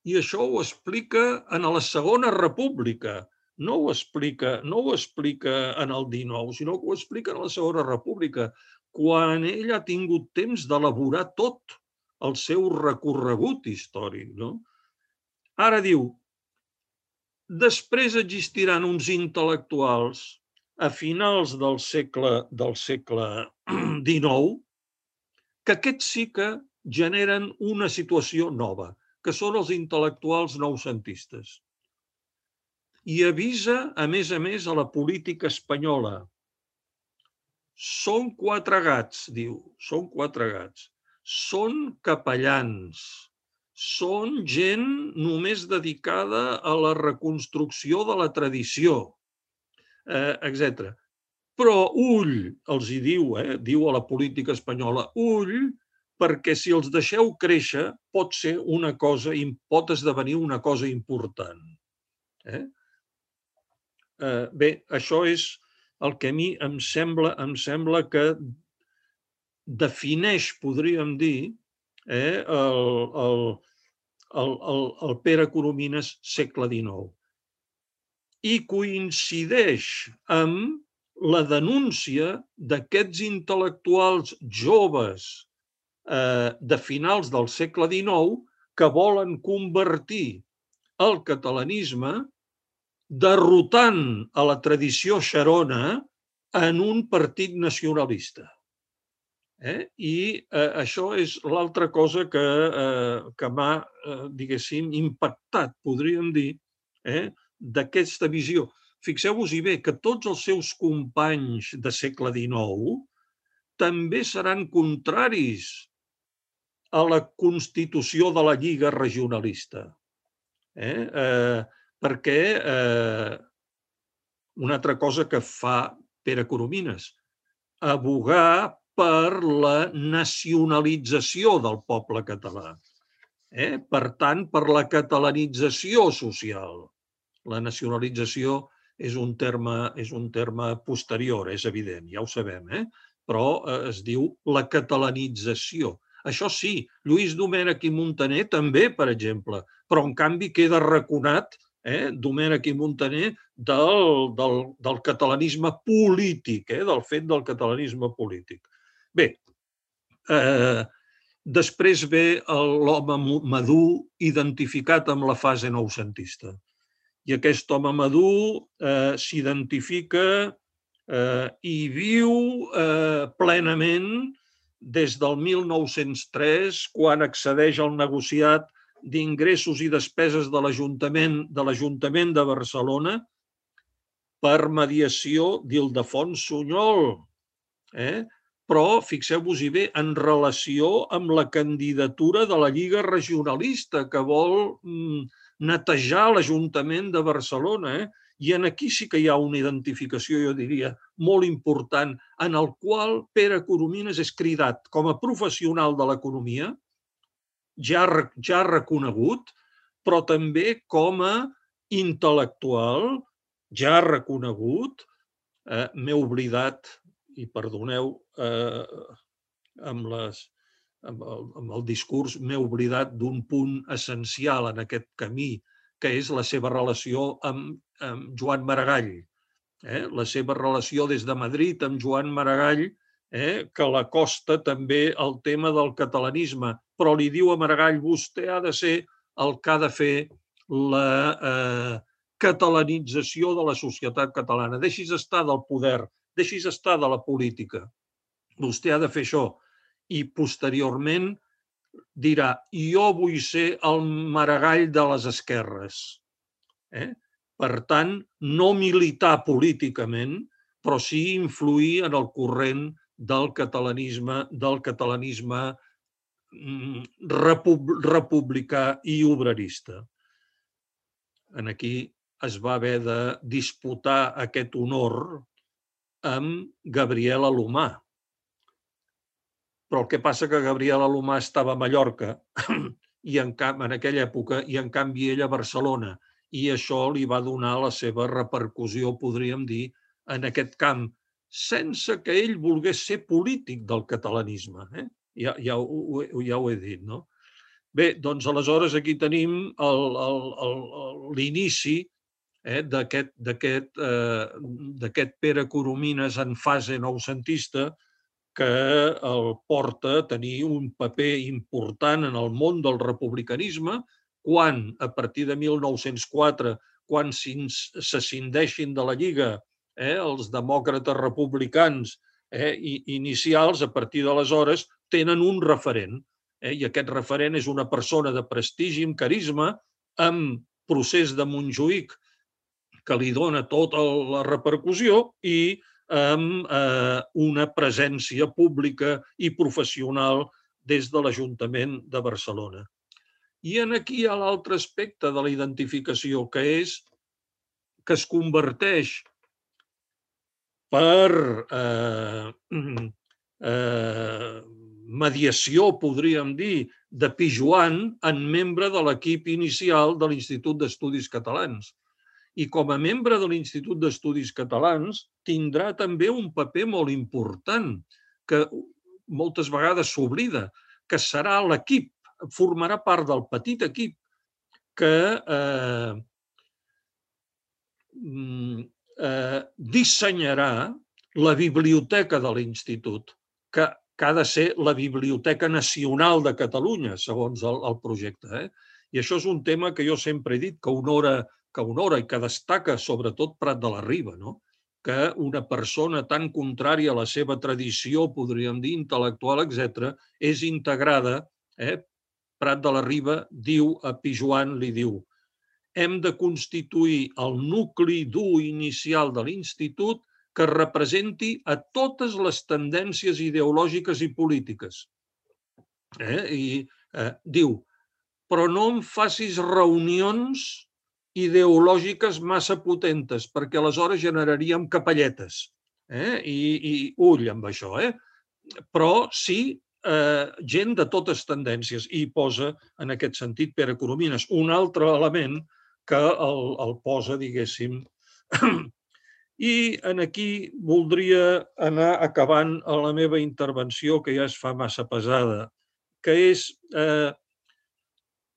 I això ho explica en la Segona República. No ho explica en el XIX, sinó que ho explica en la Segona República, quan ell ha tingut temps d'elaborar tot el seu recorregut històric. Ara diu, després existiran uns intel·lectuals a finals del segle XIX que aquests sí que generen una situació nova, que són els intel·lectuals noucentistes. I avisa, a més, a la política espanyola. Són quatre gats, diu, són quatre gats. Són capellans, són gent només dedicada a la reconstrucció de la tradició, etc. Però ull, els hi diu, diu a la política espanyola, ull, perquè si els deixeu créixer pot esdevenir una cosa important. Bé, això és el que a mi em sembla que defineix, podríem dir, el Pere Coromines segle XIX. I coincideix amb la denúncia d'aquests intel·lectuals joves de finals del segle XIX que volen convertir el catalanisme derrotant a la tradició xerona en un partit nacionalista. I això és l'altra cosa que m'ha, diguéssim, impactat, podríem dir, d'aquesta visió. Fixeu-vos-hi bé que tots els seus companys de segle XIX també seran contraris a la constitució de la Lliga Regionalista. Perquè una altra cosa que fa Pere Coromines, abogar per la nacionalització del poble català. Per tant, per la catalanització social. La nacionalització és un terme posterior, és evident, ja ho sabem, però es diu la catalanització. Això sí, Lluís Domènech i Muntaner també, per exemple, però en canvi queda arraconat Domènech i Muntaner del catalanisme polític, del fet del catalanisme polític. Bé, després ve l'home madur identificat amb la fase noucentista. I aquest home madur s'identifica i viu plenament des del 1903, quan accedeix al negociat d'ingressos i despeses de l'Ajuntament de Barcelona per mediació d'Ildefons Sunyol. Però fixeu-vos-hi bé, en relació amb la candidatura de la Lliga Regionalista, que vol netejar l'Ajuntament de Barcelona. I aquí sí que hi ha una identificació, jo diria, molt important, en el qual Pere Coromines és cridat com a professional de l'economia, ja reconegut, però també com a intel·lectual, ja reconegut. M'he oblidat, i perdoneu, amb el discurs m'he oblidat d'un punt essencial en aquest camí, que és la seva relació amb Joan Maragall. La seva relació des de Madrid amb Joan Maragall, que l'acosta també al tema del catalanisme, però li diu a Maragall: vostè ha de ser el que ha de fer la catalanització de la societat catalana. Deixis estar del poder, deixis estar de la política. Vostè ha de fer això. I posteriorment dirà: jo vull ser el Maragall de les esquerres. Per tant, no militar políticament, però sí influir en el corrent del catalanisme republicà i obrerista. Aquí es va haver de disputar aquest honor amb Gabriel Alomar. Però el que passa que Gabriel Alomar estava a Mallorca en aquella època, i en canvi ell a Barcelona, i això li va donar la seva repercussió, podríem dir, en aquest camp, sense que ell volgués ser polític del catalanisme. Ja ho he dit, no? Bé, doncs aleshores aquí tenim l'inici d'aquest Pere Coromines en fase noucentista, que el porta a tenir un paper important en el món del republicanisme, quan, a partir de 1904, quan s'escindeixin de la Lliga els demòcrates republicans inicials, a partir d'aleshores tenen un referent. I aquest referent és una persona de prestigi, amb carisma, amb Procés de Montjuïc, que li dona tota la repercussió, i amb una presència pública i professional des de l'Ajuntament de Barcelona. I aquí hi ha l'altre aspecte de la identificació, que és que es converteix per mediació, podríem dir, de Pijoan en membre de l'equip inicial de l'Institut d'Estudis Catalans. i com a membre de l'Institut d'Estudis Catalans tindrà també un paper molt important que moltes vegades s'oblida, que serà l'equip, formarà part del petit equip que dissenyarà la biblioteca de l'Institut, que ha de ser la Biblioteca Nacional de Catalunya, segons el projecte. I això és un tema que jo sempre he dit que honora i que destaca sobretot Prat de la Riba, que una persona tan contrària a la seva tradició, podríem dir, intel·lectual, etc., és integrada. Prat de la Riba diu a Pijoan, li diu: hem de constituir el nucli dur inicial de l'Institut que representi a totes les tendències ideològiques i polítiques. I diu, però no em facis reunions ideològiques massa potentes, perquè aleshores generaríem capelletes. I ull amb això. Però sí gent de totes tendències. I posa, en aquest sentit, Pere Coromines, un altre element que el posa, diguéssim. I aquí voldria anar acabant la meva intervenció, que ja es fa massa pesada, que és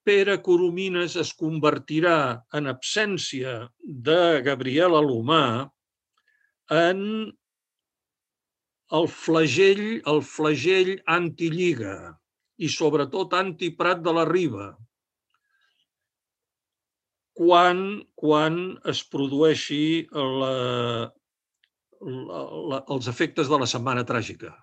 Pere Coromines es convertirà, en absència de Gabriel Alomar, en el flagell anti-Lliga i sobretot anti-Prat de la Riba, quan es produeixi els efectes de la Setmana Tràgica.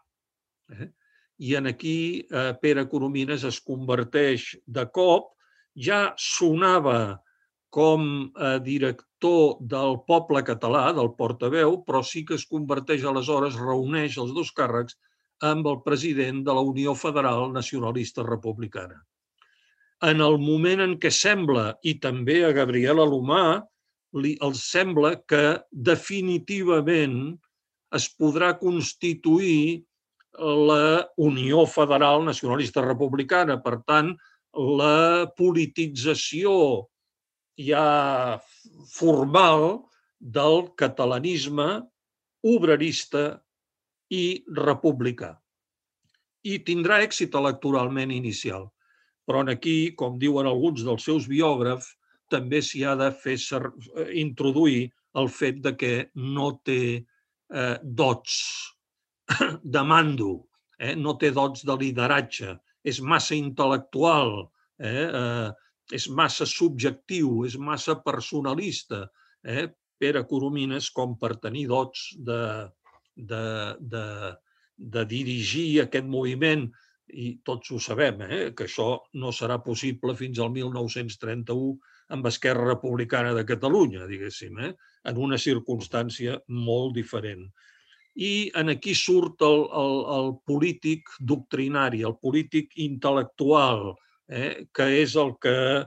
I aquí Pere Coromines es converteix de cop, ja sonava com a director del Poble Català, del portaveu, però sí que es converteix aleshores, reuneix els dos càrrecs amb el president de la Unió Federal Nacionalista Republicana. En el moment en què sembla, i també a Gabriel Alomar, els sembla que definitivament es podrà constituir la Unió Federal Nacionalista Republicana. Per tant, la politització ja formal del catalanisme obrerista i republicà. I tindrà èxit electoralment inicial. Però aquí, com diuen alguns dels seus biògrafs, també s'hi ha de fer introduir el fet de que no té dots de mando, no té dots de lideratge, és massa intel·lectual, és massa subjectiu, és massa personalista. Pere Coromines, com per tenir dots de dirigir aquest moviment, i tots ho sabem, que això no serà possible fins al 1931 amb Esquerra Republicana de Catalunya, diguéssim, en una circumstància molt diferent. I aquí surt el polític doctrinari, el polític intel·lectual, que és el que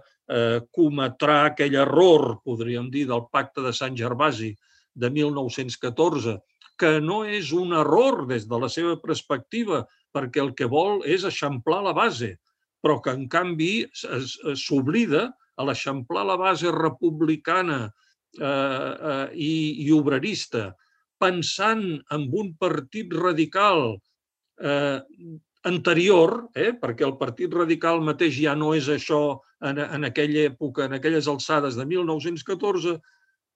cometrà aquell error, podríem dir, del Pacte de Sant Gervasi de 1914, que no és un error des de la seva perspectiva, perquè el que vol és eixamplar la base, però que, en canvi, s'oblida a l'eixamplar la base republicana i obrerista, pensant en un partit radical anterior, perquè el Partit Radical mateix ja no és això en aquella època, en aquelles alçades de 1914,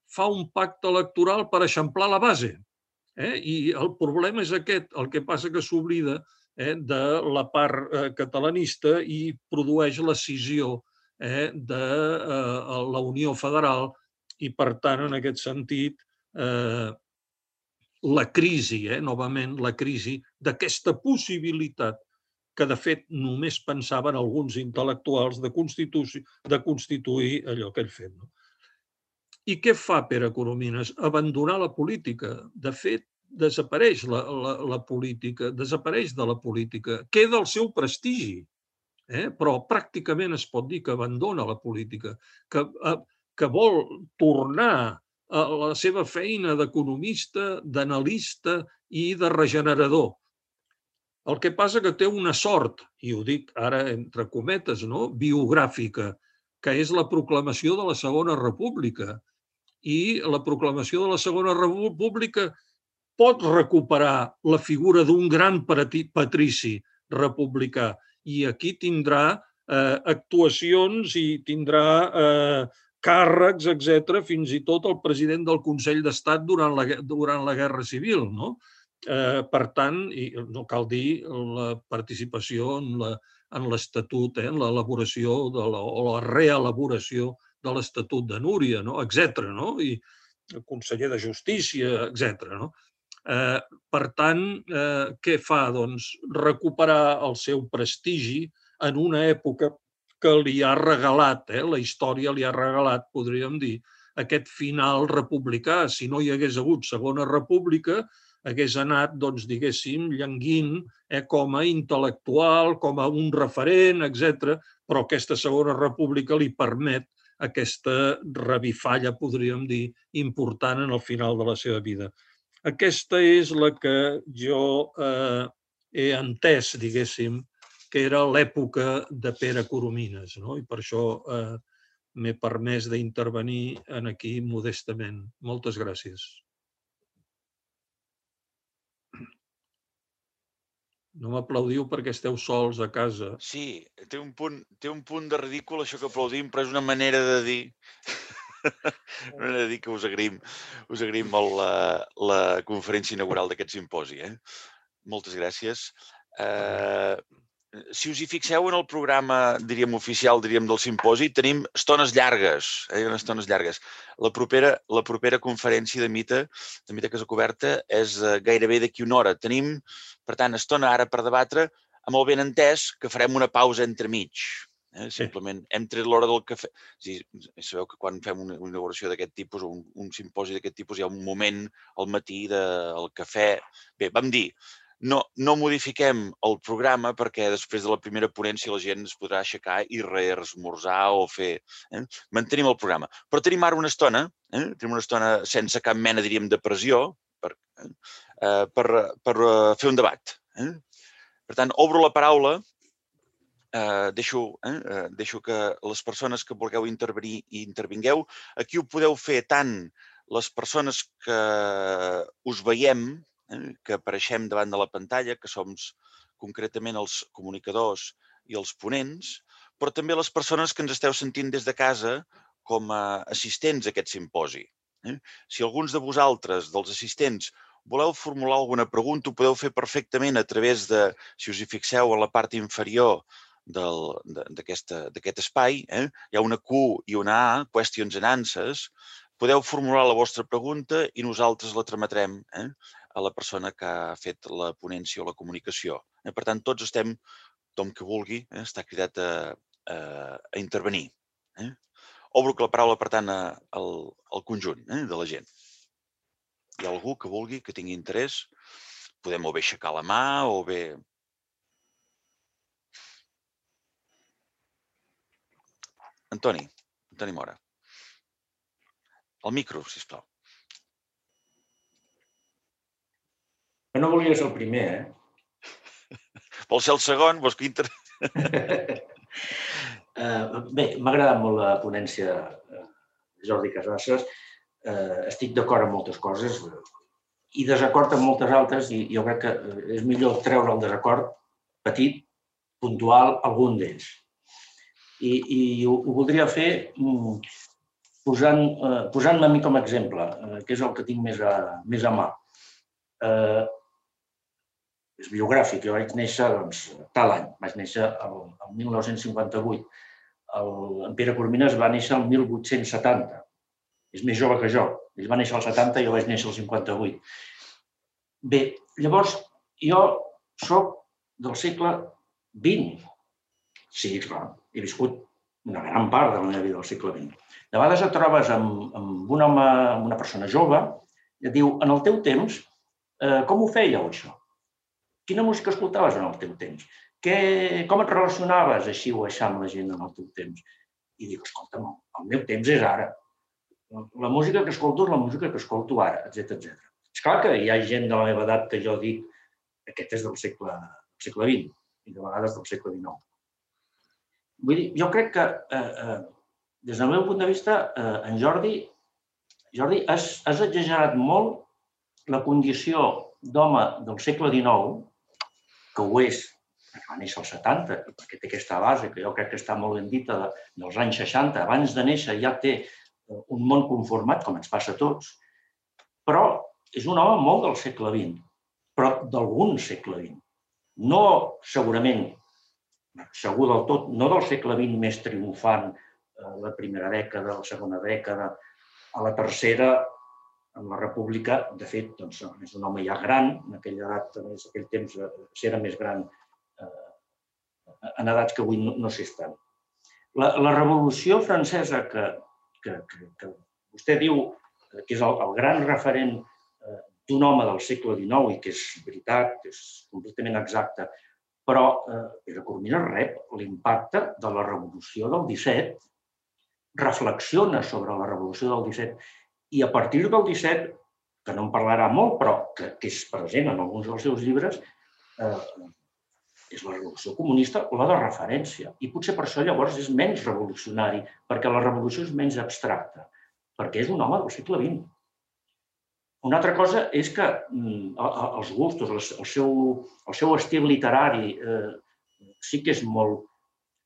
fa un pacte electoral per eixamplar la base. I el problema és aquest, el que passa que s'oblida de la part catalanista i produeix l'escissió de la Unió Federal i, per tant, en aquest sentit, la crisi, novament, la crisi d'aquesta possibilitat que, de fet, només pensaven alguns intel·lectuals de constituir allò que ell fet. I què fa Pere Coromines? Abandonar la política. De fet, desapareix la política, desapareix de la política. Queda el seu prestigi, però pràcticament es pot dir que abandona la política, que vol tornar a la seva feina d'economista, d'analista i de regenerador. El que passa que té una sort, i ho dic ara entre cometes, biogràfica, que és la proclamació de la Segona República. i la proclamació de la Segona República pot recuperar la figura d'un gran patrici republicà i aquí tindrà actuacions i tindrà càrrecs, etc., fins i tot el president del Consell d'Estat durant la Guerra Civil. Per tant, no cal dir la participació en l'Estatut, en l'elaboració o la reelaboració de l'Estatut de Núria, etc., i el conseller de Justícia, etc. Per tant, què fa? Doncs recuperar el seu prestigi en una època que li ha regalat, la història li ha regalat, podríem dir, aquest final republicà. Si no hi hagués hagut Segona República, hagués anat, doncs, diguéssim, llanguint com a intel·lectual, com a un referent, etc. Però aquesta Segona República li permet aquesta revifalla, podríem dir, important en el final de la seva vida. Aquesta és la que jo he entès, diguéssim, que era l'època de Pere Coromines, i per això m'he permès d'intervenir aquí modestament. Moltes gràcies. No m'aplaudiu perquè esteu sols a casa. Sí, té un punt de ridícul això que aplaudim, però és una manera de dir... Una manera de dir que us agraïm molt la conferència inaugural d'aquest simposi. Moltes gràcies. Si us hi fixeu en el programa, diríem, oficial, diríem, del simposi, tenim estones llargues, estones llargues. La propera conferència de Mita Casa Coberta, és gairebé d'aquí una hora. Tenim, per tant, estona ara per debatre, amb el benentès que farem una pausa entremig. Simplement, hem tret l'hora del cafè. Sabeu que quan fem una inauguració d'aquest tipus o un simposi d'aquest tipus hi ha un moment al matí del cafè. Bé, vam dir, no modifiquem el programa perquè després de la primera ponència la gent es podrà aixecar i reesmorzar o fer... Mantenim el programa. Però tenim ara una estona, sense cap mena, diríem, de pressió per fer un debat. Per tant, obro la paraula, deixo que les persones que vulgueu intervenir i intervingueu. Aquí ho podeu fer tant les persones que us veiem, que apareixem davant de la pantalla, que som concretament els comunicadors i els ponents, però també les persones que ens esteu sentint des de casa com a assistents a aquest simposi. Si alguns de vosaltres, dels assistents, voleu formular alguna pregunta, ho podeu fer perfectament a través de, si us hi fixeu, a la part inferior d'aquest espai, hi ha una Q i una A, questions and answers. Podeu formular la vostra pregunta i nosaltres la trametrem a la persona que ha fet la ponència o la comunicació. Per tant, tots estem, tothom que vulgui, està cridat a intervenir. Obro la paraula, per tant, al conjunt de la gent. Hi ha algú que vulgui, que tingui interès? Podem o bé aixecar la mà o bé... Antoni Mora. El micro, sisplau. Jo no volia ser el primer, Vols ser el segon? Vols que Bé, m'ha agradat molt la ponència de Jordi Casasses. Estic d'acord amb moltes coses i desacord amb moltes altres i jo crec que és millor treure el desacord petit, puntual, algun d'ells. I ho voldria fer posant-me a mi com a exemple, que és el que tinc més a mà. És biogràfic, jo vaig néixer tal any, vaig néixer el 1958. En Pere Coromines va néixer el 1870, és més jove que jo. Ell va néixer al 70 i jo vaig néixer al 58. Bé, llavors, jo soc del segle XX. Sí, clar, he viscut una gran part de la meva vida del segle XX. De vegades et trobes amb un home, amb una persona jove, i et diu, en el teu temps, com ho fèieu, això? Quina música escoltaves en el teu temps? Com et relacionaves així o aixà amb la gent en el teu temps? I dic, escolta'm, el meu temps és ara. La música que escolto és la música que escolto ara, etc. És clar que hi ha gent de la meva edat que jo dic aquest és del segle XX i de vegades del segle XIX. Vull dir, jo crec que, des del meu punt de vista, en Jordi Jordi, has exagerat molt la condició d'home del segle XIX, que ho és, perquè va néixer als 70, i perquè té aquesta base, que jo crec que està molt ben dita, dels anys 60. Abans de néixer ja té un món conformat, com ens passa a tots, però és un home molt del segle XX, però d'algun segle XX. No segurament, segur del tot, no del segle XX més triomfant, la primera dècada, la segona dècada, a la tercera, en la República, de fet, és un home ja gran, en aquella edat, en aquell temps, si era més gran, en edats que avui no s'estan. La Revolució Francesa, que vostè diu que és el gran referent d'un home del segle XIX i que és veritat, que és completament exacte, però Pere Coromines rep l'impacte de la Revolució del 17, reflexiona sobre la Revolució del 17 i a partir del 17, que no en parlarà molt, però que és present en alguns dels seus llibres, és la Revolució Comunista la de referència. I potser per això llavors és menys revolucionari, perquè la revolució és menys abstracta, perquè és un home del segle XX. Una altra cosa és que els gustos, el seu estil literari sí que és molt...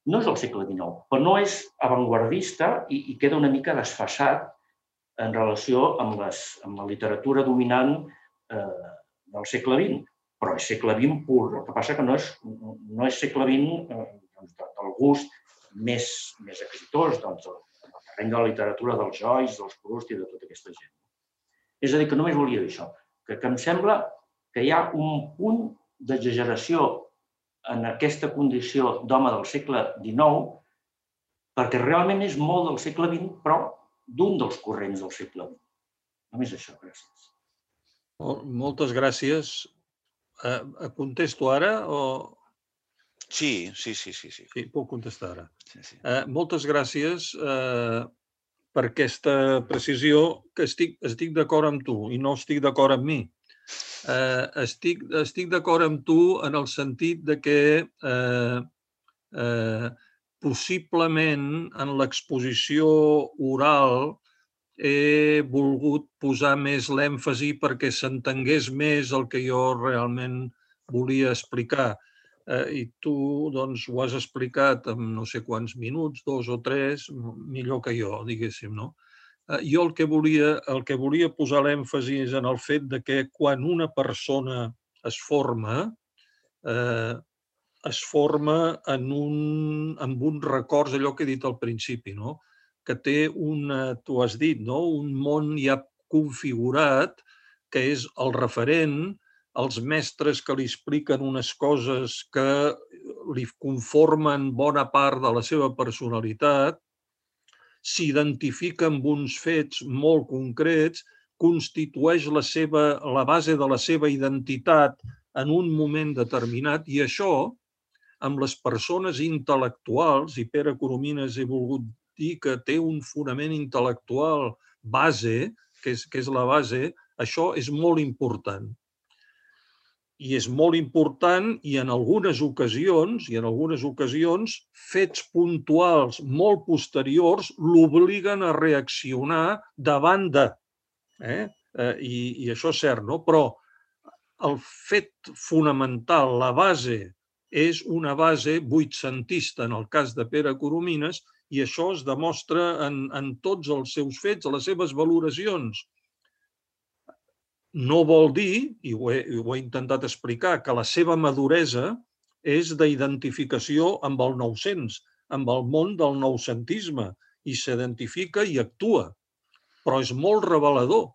No és del segle XIX, però no és avantguardista i queda una mica desfasat en relació amb la literatura dominant del segle XX. Però és segle XX pur. El que passa que no és segle XX del gust més exitós, del terreny de la literatura dels Joyce, dels Proust i de tota aquesta gent. És a dir, que només volia dir això, que em sembla que hi ha un punt d'exageració en aquesta condició d'home del segle XIX, perquè realment és molt del segle XX, però d'un dels corrents del segle XX. Només això, gràcies. Moltes gràcies. Contesto ara o...? Sí. Sí, puc contestar ara. Sí. Moltes gràcies per aquesta precisió, que estic d'acord amb tu i no estic d'acord amb mi. Estic d'acord amb tu en el sentit de que possiblement en l'exposició oral he volgut posar més l'èmfasi perquè s'entengués més el que jo realment volia explicar. I tu doncs, ho has explicat en no sé quants minuts, 2 o 3, millor que jo, diguéssim, no? Jo el que volia posar l'èmfasi és en el fet de que quan una persona es forma amb uns records, allò que he dit al principi, no? Que té tu has dit, un món ja configurat, que és el referent, els mestres que li expliquen unes coses que li conformen bona part de la seva personalitat, s'identifica amb uns fets molt concrets, constitueix la base de la seva identitat en un moment determinat, i això, amb les persones intel·lectuals, i Pere Coromines he volgut dir que té un fonament intel·lectual base, que és la base, això és molt important. I és molt important i en algunes ocasions, fets puntuals molt posteriors l'obliguen a reaccionar davant de. I això és cert, no? Però el fet fonamental, la base, és una base vuitcentista en el cas de Pere Coromines, i això es demostra en tots els seus fets, a les seves valoracions. No vol dir, i ho he intentat explicar, que la seva maduresa és d'identificació amb el 900, amb el món del noucentisme, i s'identifica i actua. Però és molt revelador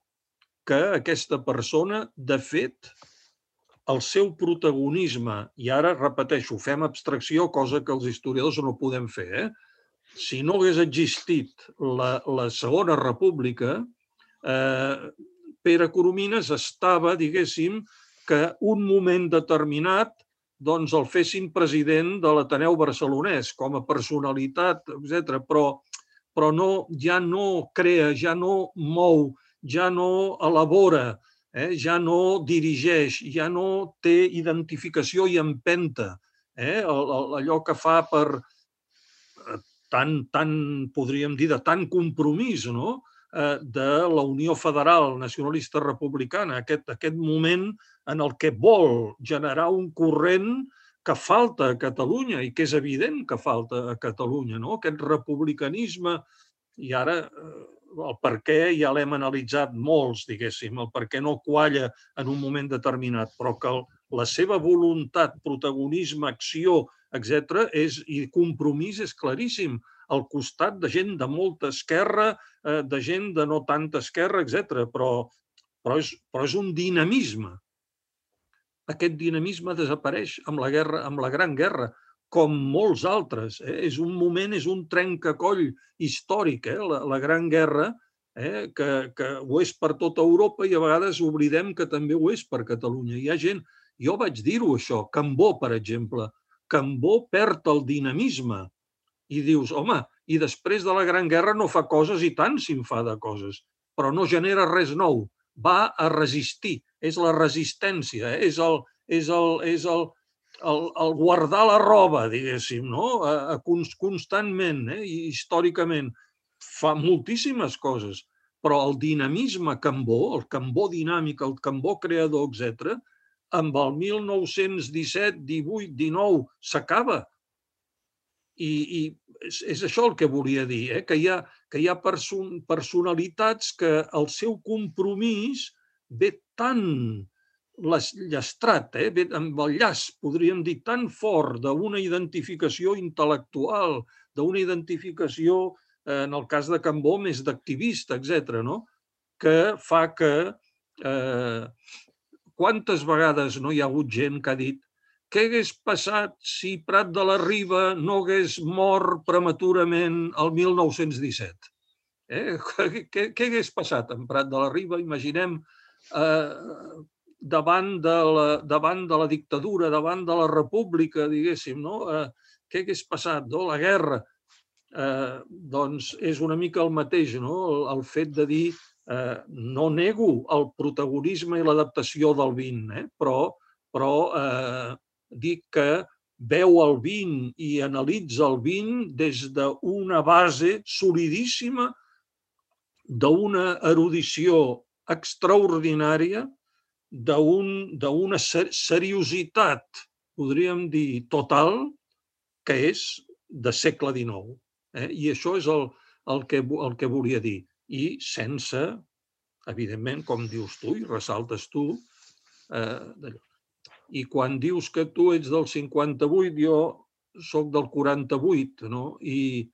que aquesta persona, de fet, el seu protagonisme, i ara repeteixo, fem abstracció, cosa que els historiadors no podem fer, si no hagués existit la Segona República, Pere Coromines estava, diguéssim, que un moment determinat doncs el fessin president de l'Ateneu Barcelonès com a personalitat, etc. Però ja no crea, ja no mou, ja no elabora, ja no dirigeix, ja no té identificació i empenta. Allò que fa per, podríem dir, de tant compromís, no? de la Unió Federal Nacionalista Republicana, aquest moment en el que vol generar un corrent que falta a Catalunya i que és evident que falta a Catalunya, no? Aquest republicanisme, i ara el per què ja l'hem analitzat molts, diguéssim, el per què no qualla en un moment determinat, però que la seva voluntat, protagonisme, acció, etc., i compromís és claríssim, al costat de gent de molta esquerra, de gent de no tanta esquerra, etc., però és un dinamisme. Aquest dinamisme desapareix amb la Gran Guerra, com molts altres. És un moment, és un trencacoll històric, la Gran Guerra, que ho és per tota Europa i a vegades oblidem que també ho és per Catalunya. Hi ha gent, jo vaig dir-ho això, Cambó, per exemple. Cambó perd el dinamisme i dius, home, i després de la Gran Guerra no fa coses i tant si en fa de coses, però no genera res nou. Va a resistir, és la resistència, és el guardar la roba, diguéssim, no? Constantment, històricament. Fa moltíssimes coses, però el dinamisme Cambó, el Cambó dinàmic, el Cambó creador, etc., amb el 1917, 18, 19, s'acaba. I és això el que volia dir, que hi ha personalitats que el seu compromís ve tan llastrat, ve amb el llast, podríem dir, tan fort d'una identificació intel·lectual, d'una identificació, en el cas de Cambó, més d'activista, etc., que fa que quantes vegades no hi ha hagut gent que ha dit què hagués passat si Prat de la Riba no hagués mort prematurament el 1917? Què hagués passat amb Prat de la Riba? Imaginem davant de la dictadura, davant de la república, diguéssim, no? Què hagués passat? La guerra. Doncs és una mica el mateix, no? El fet de dir no nego el protagonisme i l'adaptació del vint, però dic que veu el vint i analitza el vint des d'una base solidíssima, d'una erudició extraordinària, d'una seriositat, podríem dir, total, que és de segle XIX. I això és el que volia dir. I sense, evidentment, com dius tu i ressaltes tu, i quan dius que tu ets del 58, jo soc del 48, no? I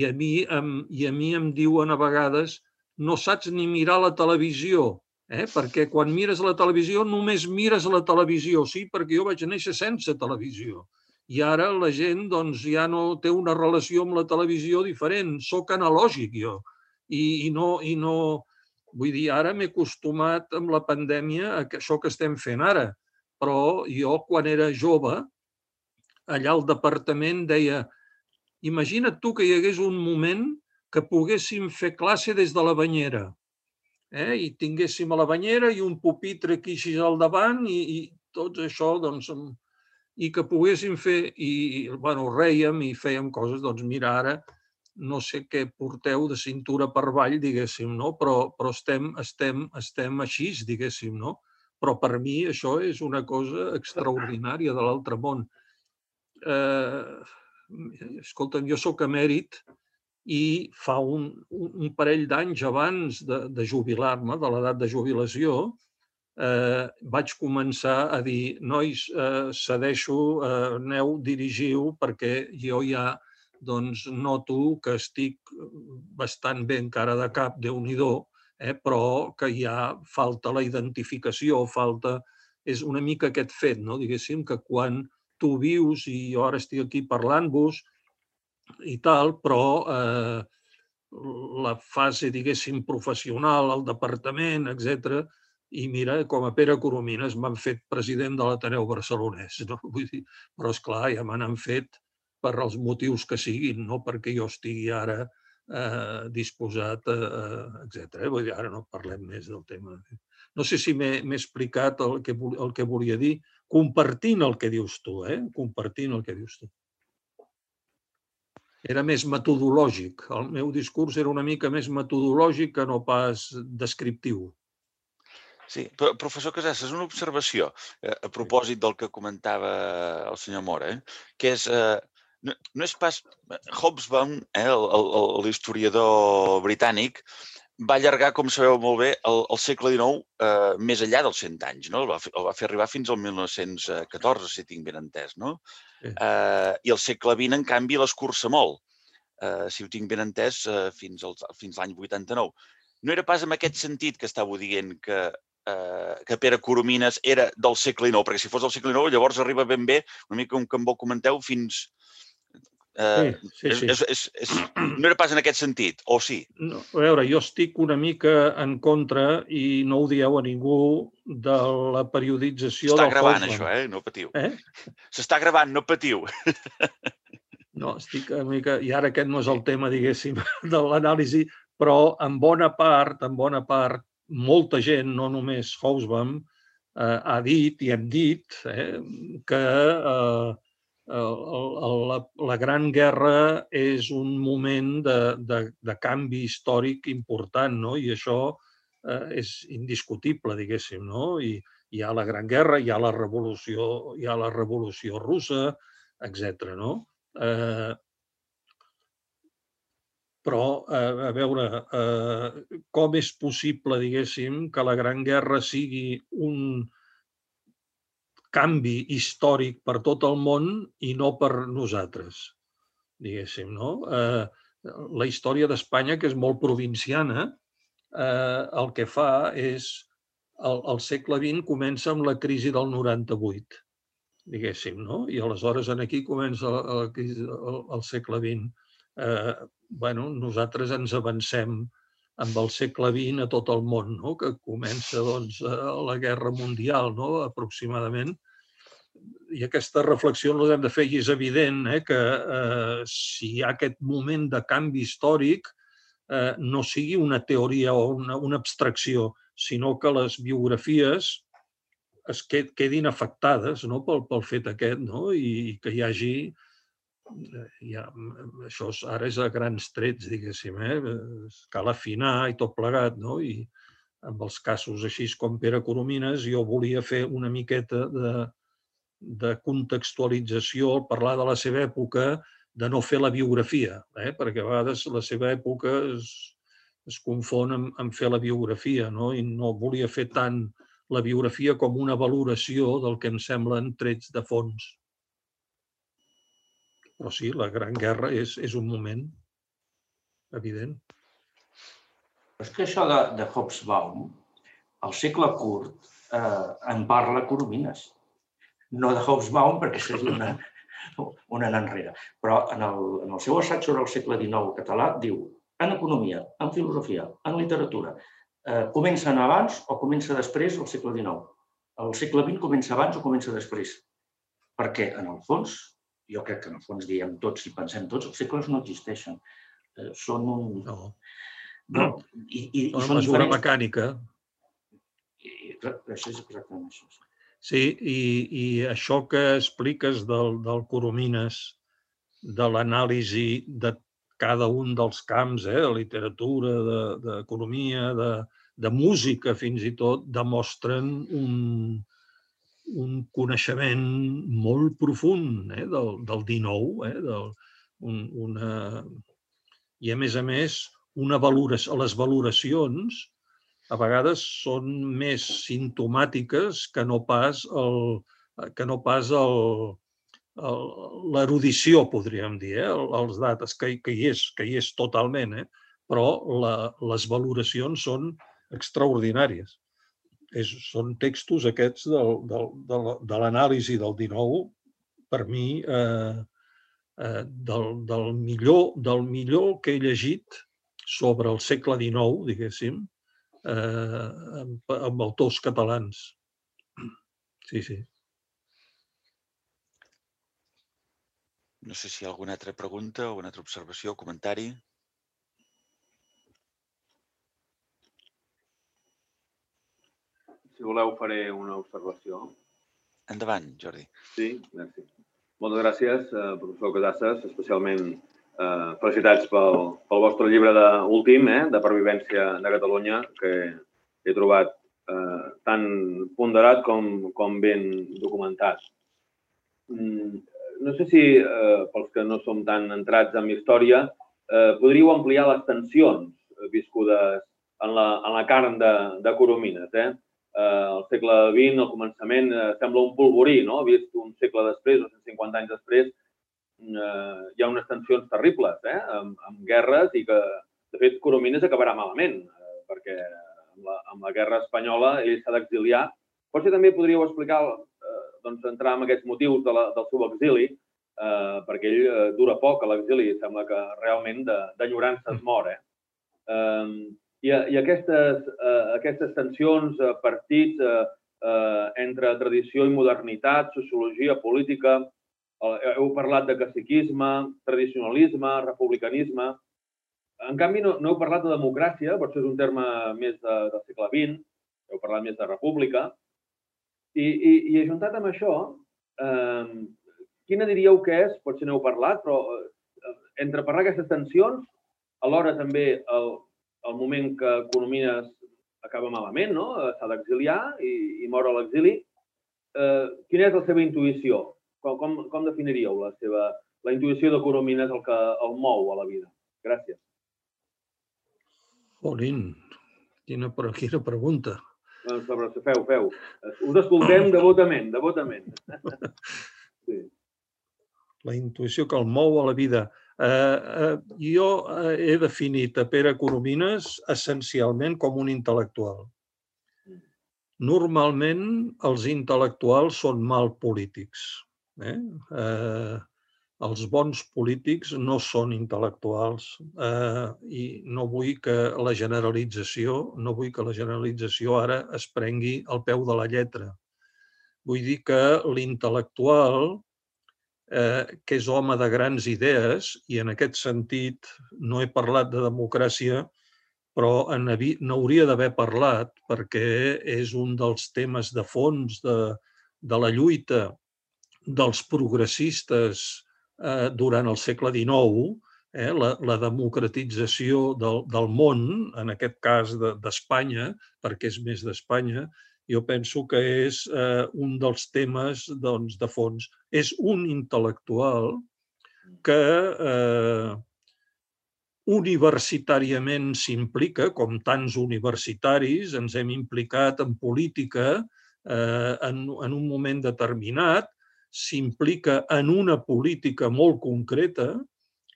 a mi em diuen a vegades no saps ni mirar la televisió, perquè quan mires la televisió només mires la televisió, sí, perquè jo vaig néixer sense televisió. I ara la gent ja no té una relació amb la televisió diferent, soc analògic jo. I no, vull dir, ara m'he acostumat amb la pandèmia a això que estem fent ara. Però jo, quan era jove, allà al departament deia imagina't tu que hi hagués un moment que poguéssim fer classe des de la banyera i tinguéssim a la banyera i un pupitre aquí així al davant i tot això, doncs, i que poguéssim fer, i rèiem i fèiem coses, doncs mira, ara no sé què porteu de cintura per avall, diguéssim, no? Però estem així, diguéssim, no? Però per mi això és una cosa extraordinària de l'altre món. Escolta'm, jo soc emèrit i fa un parell d'anys abans de jubilar-me, de l'edat de jubilació, vaig començar a dir, nois, cedeixo, aneu, dirigiu, perquè jo ja noto que estic bastant bé encara de cap, Déu-n'hi-do, però que ja falta la identificació, és una mica aquest fet, diguéssim, que quan tu vius, i jo ara estic aquí parlant-vos i tal, però la fase, diguéssim, professional, el departament, etc., i mira, com a Pere Coromines m'han fet president de l'Ateneu Barcelonès, vull dir, però esclar, ja me n'han fet per als motius que siguin, no perquè jo estigui ara disposat, etc. Vull dir, ara no parlem més del tema. No sé si m'he explicat el que volia dir, compartint el que dius tu, compartint el que dius tu. Era més metodològic. El meu discurs era una mica més metodològic que no pas descriptiu. Sí, però, professor Casassas, una observació a propòsit del que comentava el senyor Mora, que és, no és pas... Hobsbawm, l'historiador britànic, va allargar, com sabeu molt bé, el segle XIX més enllà dels 100 anys. El va fer arribar fins al 1914, si tinc ben entès. I el segle XX, en canvi, l'escurça molt. Si ho tinc ben entès, fins l'any 89. No era pas en aquest sentit que estàveu dient que Pere Coromines era del segle XIX, perquè si fos del segle XIX llavors arriba ben bé, una mica com que em comenteu, fins... Sí. No era pas en aquest sentit, o sí? No, a veure, jo estic una mica en contra, i no ho dieu a ningú, de la periodització del Hobsbawm. S'està gravant, això, no patiu. S'està gravant, no patiu. No, estic una mica... I ara aquest no és el tema, diguéssim, de l'anàlisi, però en bona part, molta gent, no només Hobsbawm, ha dit i hem dit que la Gran Guerra és un moment de canvi històric important, i això és indiscutible, diguéssim. I hi ha la Gran Guerra, hi ha la Revolució Russa, etc. Però, a veure, com és possible, diguéssim, que la Gran Guerra sigui un canvi històric per tot el món i no per nosaltres, diguéssim. La història d'Espanya, que és molt provinciana, el que fa és... El segle XX comença amb la crisi del 98, diguéssim, i aleshores aquí comença el segle XX. Nosaltres ens avancem amb el segle XX a tot el món, que comença la Guerra Mundial, aproximadament. I aquesta reflexió ens l'hem de fer, i és evident que si hi ha aquest moment de canvi històric, no sigui una teoria o una abstracció, sinó que les biografies es quedin afectades pel fet aquest, i que hi hagi... Això ara és a grans trets, diguéssim, cal afinar i tot plegat, i amb els casos així com Pere Coromines jo volia fer una miqueta de contextualització al parlar de la seva època, de no fer la biografia, perquè a vegades la seva època es confon amb fer la biografia, i no volia fer tant la biografia com una valoració del que em semblen trets de fons. Però sí, la Gran Guerra és un moment evident. És que això de Hobsbawm, al segle curt, en parla Coromines. No de Hobsbawm, perquè seria un anar enrere. Però en el seu assaig sobre el segle XIX català diu en economia, en filosofia, en literatura, comencen abans o comença després del segle XIX. El segle XX comença abans o comença després. Perquè, en el fons, jo crec que en el fons diem tots i pensem tots, els segles no existeixen. Són un... No. Són una mesura mecànica. Això és exactament això. Sí, i això que expliques del Coromines, de l'anàlisi de cada un dels camps, de literatura, d'economia, de música fins i tot, demostren un coneixement molt profund del XIX, i a més, les valoracions a vegades són més simptomàtiques que no pas l'erudició, podríem dir, els dates, que hi és totalment, però les valoracions són extraordinàries. Són textos aquests de l'anàlisi del XIX, per mi, del millor que he llegit sobre el segle XIX, diguéssim, amb autors catalans. Sí. No sé si hi ha alguna altra pregunta, alguna altra observació o comentari. Si voleu, faré una observació. Endavant, Jordi. Sí, gràcies. Moltes gràcies, professor Casassas, especialment Felicitats pel vostre llibre últim, de pervivència de Catalunya, que he trobat tan ponderat com ben documentat. No sé si, pels que no som tan entrats en història, podríeu ampliar les tensions viscudes en la carn de Coromines. Al segle XX, al començament, sembla un polvorí, no? Vist un segle després, o 150 anys després, hi ha unes tensions terribles, amb guerres i que, de fet, Coromines acabarà malament, perquè amb la guerra espanyola ell s'ha d'exiliar. Potser també podríeu explicar, entrar en aquests motius del seu exili, perquè ell dura poc a l'exili, sembla que realment d'enyorança es mor. I aquestes tensions, partits entre tradició i modernitat, sociologia, política, heu parlat de caciquisme, tradicionalisme, republicanisme. En canvi, no heu parlat de democràcia, potser és un terme més del segle XX, heu parlat més de república. I ajuntat amb això, quina diríeu que és, potser n'heu parlat, però entre parlar aquestes tensions, alhora també el moment que Coromines acaba malament, s'ha d'exiliar i mor a l'exili, quina és la seva intuïció? Com definiríeu la intuïció de Coromines, el que el mou a la vida? Gràcies. Jolín, quina pregunta. Feu. Us escoltem devotament. Sí. La intuïció que el mou a la vida. Jo he definit a Pere Coromines essencialment com un intel·lectual. Normalment els intel·lectuals són mal polítics. Els bons polítics no són intel·lectuals i no vull que la generalització ara es prengui al peu de la lletra. Vull dir que l'intel·lectual, que és home de grans idees, i en aquest sentit no he parlat de democràcia, però n'hauria d'haver parlat perquè és un dels temes de fons de la lluita dels progressistes durant el segle XIX, la democratització del món, en aquest cas d'Espanya, perquè és més d'Espanya, jo penso que és un dels temes de fons. És un intel·lectual que universitàriament s'implica, com tants universitaris, ens hem implicat en política en un moment determinat, s'implica en una política molt concreta,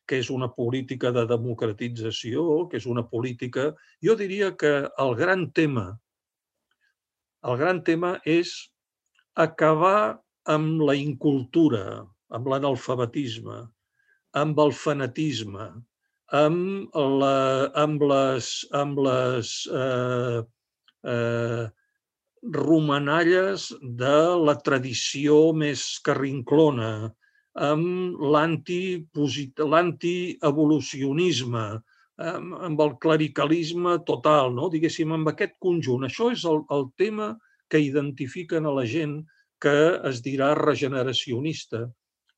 que és una política de democratització, que és una política... Jo diria que el gran tema és acabar amb la incultura, amb l'analfabetisme, amb el fanatisme, amb les romanalles de la tradició més carrinclona, amb l'antievolucionisme, amb el clericalisme total, diguéssim, amb aquest conjunt. Això és el tema que identifiquen a la gent que es dirà regeneracionista.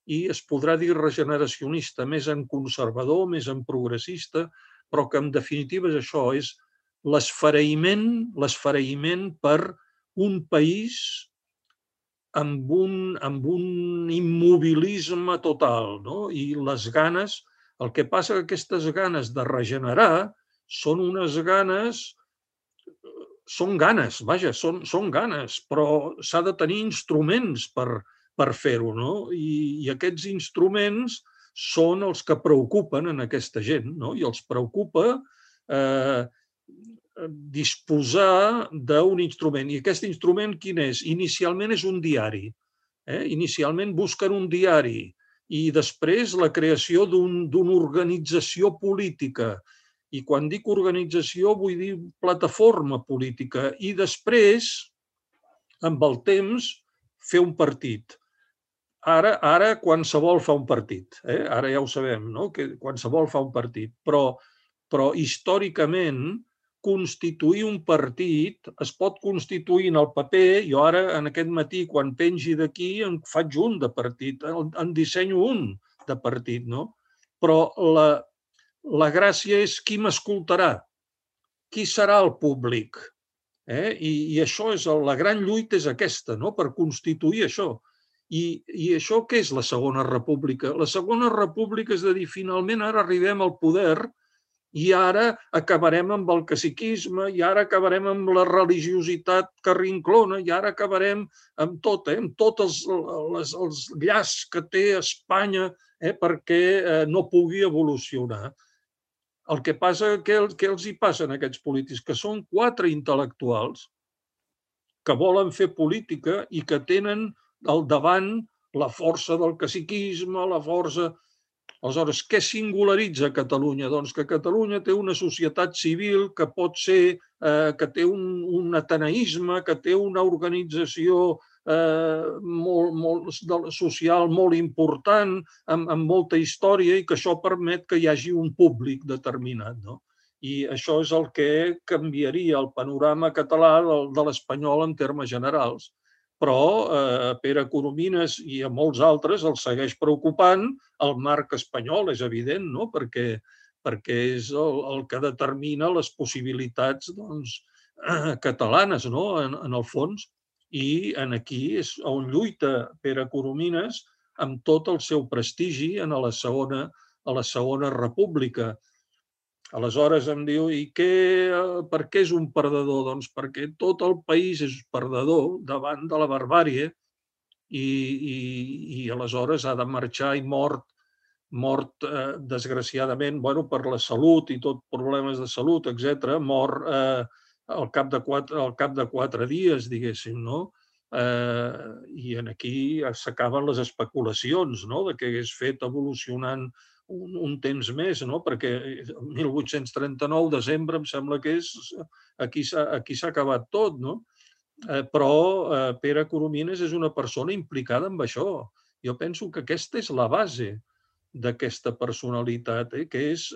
I es podrà dir regeneracionista més en conservador, més en progressista, però que en definitiva és això, és l'esfereïment per un país amb un immobilisme total, i les ganes, el que passa que aquestes ganes de regenerar són unes ganes, són ganes, però s'ha de tenir instruments per fer-ho, i aquests instruments són els que preocupen en aquesta gent, i els preocupa disposar d'un instrument. I aquest instrument quin és? Inicialment és un diari. Inicialment busquen un diari i després la creació d'una organització política. I quan dic organització vull dir plataforma política. I després, amb el temps, fer un partit. Ara qualsevol fa un partit. Ara ja ho sabem, que qualsevol fa un partit. Però històricament, constituir un partit es pot constituir en el paper. Jo ara, en aquest matí, quan pengi d'aquí, en faig un de partit, en dissenyo un de partit, però la gràcia és qui m'escoltarà, qui serà el públic. I això és la gran lluita és aquesta, no? Per constituir això. I això què és la Segona República? La Segona República és de dir, finalment ara arribem al poder i ara acabarem amb el caciquisme, i ara acabarem amb la religiositat carrinclona, i ara acabarem amb tot, amb tots els llaços que té Espanya perquè no pugui evolucionar. El que passa, què els hi passa a aquests polítics? Que són 4 intel·lectuals que volen fer política i que tenen al davant la força del caciquisme, la força... Aleshores, què singularitza Catalunya? Doncs que Catalunya té una societat civil que pot ser, que té un ateneisme, que té una organització social molt important, amb molta història, i que això permet que hi hagi un públic determinat. I això és el que canviaria el panorama català de l'espanyol en termes generals. Però a Pere Coromines i a molts altres els segueix preocupant el marc espanyol, és evident, no? Perquè és el que determina les possibilitats catalanes, no? En el fons. I aquí és on lluita Pere Coromines amb tot el seu prestigi a la Segona República. Aleshores em diu, per què és un perdedor? Doncs perquè tot el país és perdedor davant de la barbàrie i aleshores ha de marxar i mort desgraciadament per la salut i tot problemes de salut, etc. Mort al cap de 4 dies, diguéssim, no? I aquí s'acaben les especulacions de què hagués fet evolucionant un temps més, perquè el 1839, desembre, em sembla que és, aquí s'ha acabat tot, no? Però Pere Coromines és una persona implicada en això. Jo penso que aquesta és la base d'aquesta personalitat, que és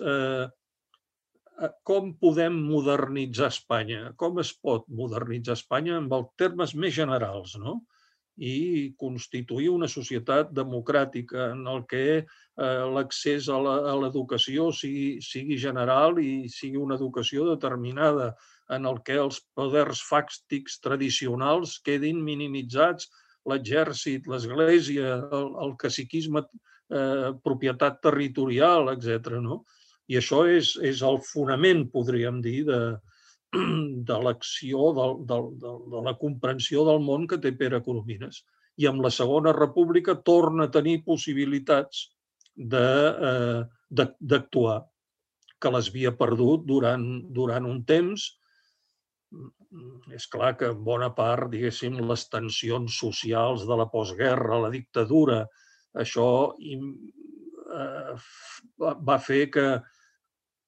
com podem modernitzar Espanya, com es pot modernitzar Espanya en els termes més generals, no? I constituir una societat democràtica en el que l'accés a l'educació sigui general i sigui una educació determinada, en el que els poders fàctics tradicionals quedin minimitzats, l'exèrcit, l'església, el caciquisme, propietat territorial, etc. I això és el fonament, podríem dir, de l'acció, de la comprensió del món que té Pere Coromines. I amb la Segona República torna a tenir possibilitats d'actuar, que les havia perdut durant un temps. És clar que en bona part, diguéssim, les tensions socials de la postguerra, la dictadura, això va fer que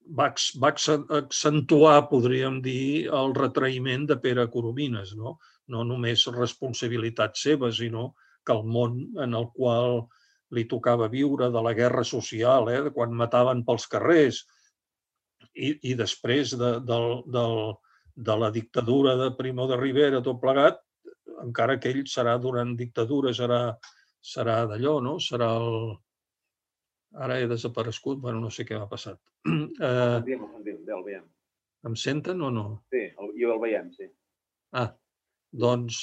va accentuar, podríem dir, el retraïment de Pere Coromines. No només responsabilitat seva, sinó que el món en el qual li tocava viure, de la guerra social, quan mataven pels carrers, i després de la dictadura de Primo de Rivera, tot plegat, encara que ell serà durant dictadura, serà d'allò, no? Serà el... Ara he desaparegut, no sé què m'ha passat. El sentim, el veiem. Em senten o no? Sí, jo el veiem, sí. Doncs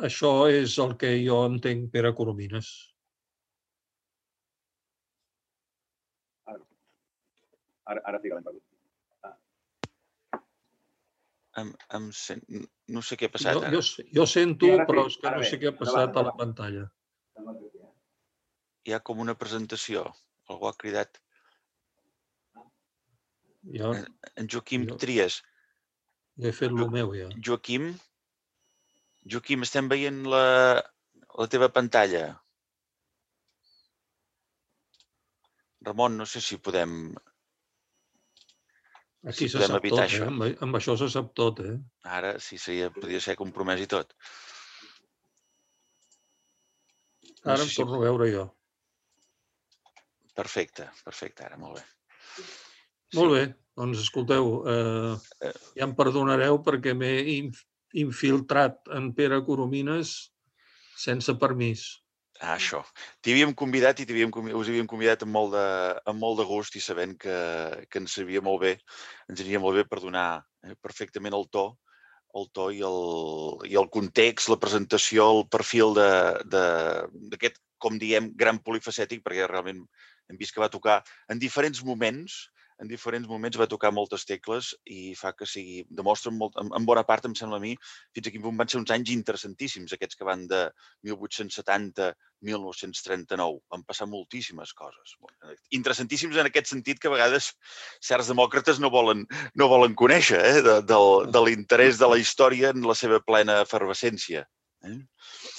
això és el que jo entenc Pere Coromines. Ara sí que l'hem perdut. No sé què ha passat ara. Jo sento, però és que no sé què ha passat a la pantalla. Hi ha com una presentació. Algú ha cridat. En Joaquim Trias. Jo he fet el meu, ja. Joaquim, estem veient la teva pantalla. Ramon, no sé si podem... Aquí se sap tot, amb això se sap tot. Ara sí, podria ser compromès i tot. Ara em torno a veure jo. Perfecte, ara, molt bé. Molt bé, doncs escolteu, ja em perdonareu perquè m'he infiltrat en Pere Coromines sense permís. Això. T'hi havíem convidat i us havíem convidat amb molt de gust i sabent que ens aniria molt bé per donar perfectament el to i el context, la presentació, el perfil d'aquest, com diem, gran polifacètic, perquè realment hem vist que va tocar en diferents moments va tocar moltes tecles i fa que demostra en bona part, em sembla a mi, fins a quin punt van ser uns anys interessantíssims, aquests que van de 1870 a 1939. Van passar moltíssimes coses. Interessantíssims en aquest sentit que a vegades certs demòcrates no volen conèixer, de l'interès de la història en la seva plena efervescència.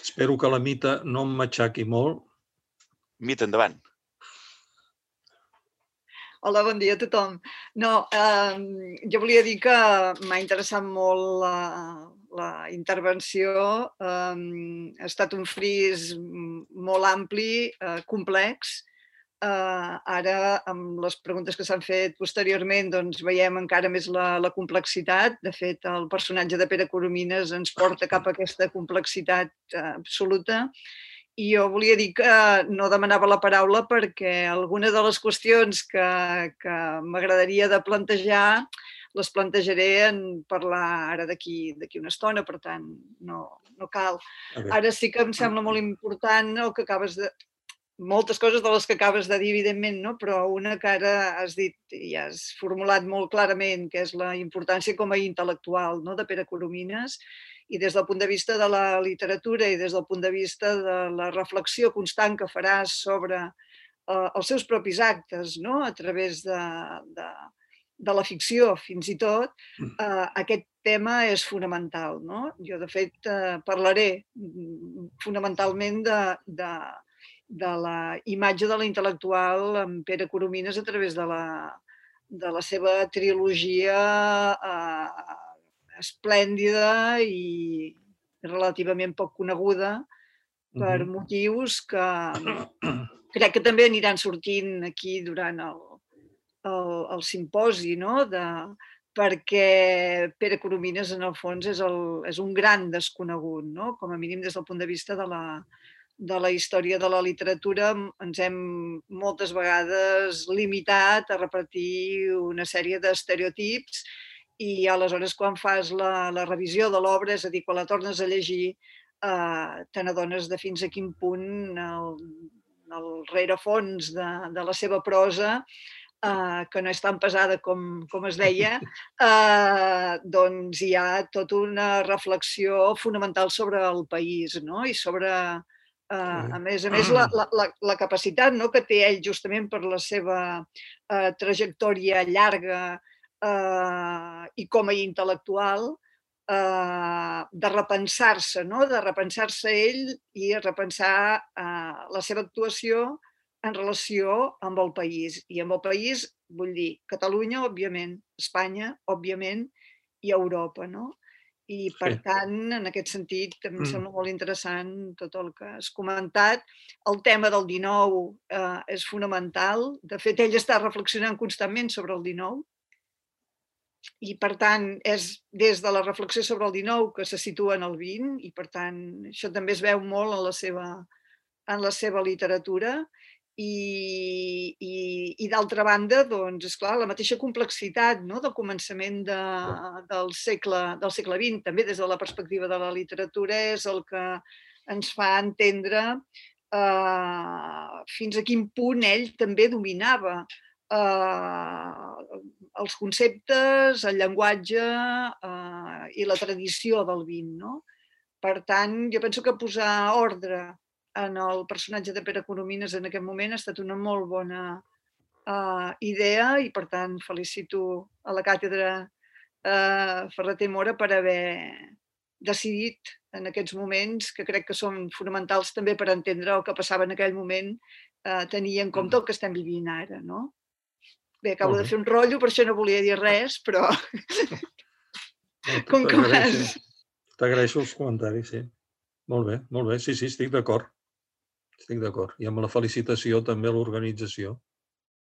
Espero que la Mita no em matxaqui molt. Mita, endavant. Hola, bon dia a tothom. No, jo volia dir que m'ha interessat molt la intervenció. Ha estat un fris molt ampli, complex. Ara, amb les preguntes que s'han fet posteriorment, doncs veiem encara més la complexitat. De fet, el personatge de Pere Coromines ens porta cap a aquesta complexitat absoluta. I jo volia dir que no demanava la paraula perquè algunes de les qüestions que m'agradaria de plantejar les plantejaré en parlar ara d'aquí una estona, per tant, no cal. Ara sí que em sembla molt important el que acabes de... moltes coses de les que acabes de dir, evidentment, no? Però una que ara has dit i has formulat molt clarament, que és la importància com a intel·lectual, no?, de Pere Coromines, i des del punt de vista de la literatura i des del punt de vista de la reflexió constant que faràs sobre els seus propis actes, no?, a través de la ficció, fins i tot, aquest tema és fonamental, no? Jo, de fet, parlaré fonamentalment de la imatge de l'intel·lectual en Pere Coromines a través de la seva trilogia esplèndida i relativament poc coneguda per motius que crec que també aniran sortint aquí durant el simposi, no? Perquè Pere Coromines, en el fons, és un gran desconegut, no? Com a mínim des del punt de vista de la història de la literatura. Ens hem moltes vegades limitat a repetir una sèrie d'estereotips i aleshores quan fas la revisió de l'obra, és a dir, quan la tornes a llegir, te n'adones de fins a quin punt el rerefons de la seva prosa, que no és tan pesada com es deia, doncs hi ha tota una reflexió fonamental sobre el país, no? I sobre, a més, la capacitat que té ell justament per la seva trajectòria llarga i com a intel·lectual, de repensar-se, no? De repensar-se ell i repensar la seva actuació en relació amb el país. I amb el país vull dir Catalunya, òbviament, Espanya, òbviament, i Europa, no? I, per tant, en aquest sentit, em sembla molt interessant tot el que has comentat. El tema del 19 és fonamental. De fet, ell està reflexionant constantment sobre el 19 i, per tant, és des de la reflexió sobre el 19 que se situa en el 20 i, per tant, això també es veu molt en la seva literatura. I d'altra banda, doncs, esclar, la mateixa complexitat del començament del segle XX, també des de la perspectiva de la literatura, és el que ens fa entendre fins a quin punt ell també dominava els conceptes, el llenguatge i la tradició del XX, no? Per tant, jo penso que posar ordre en el personatge de Pere Coromines en aquest moment ha estat una molt bona idea i, per tant, felicito a la càtedra Ferrater Mora per haver decidit en aquests moments, que crec que són fonamentals també per entendre el que passava en aquell moment, tenir en compte el que estem vivint ara, no? Bé, acabo de fer un rotllo, per això no volia dir res, però... T'agraeixo els comentaris, sí. Molt bé, sí, estic d'acord. Estic d'acord. I amb la felicitació també a l'organització.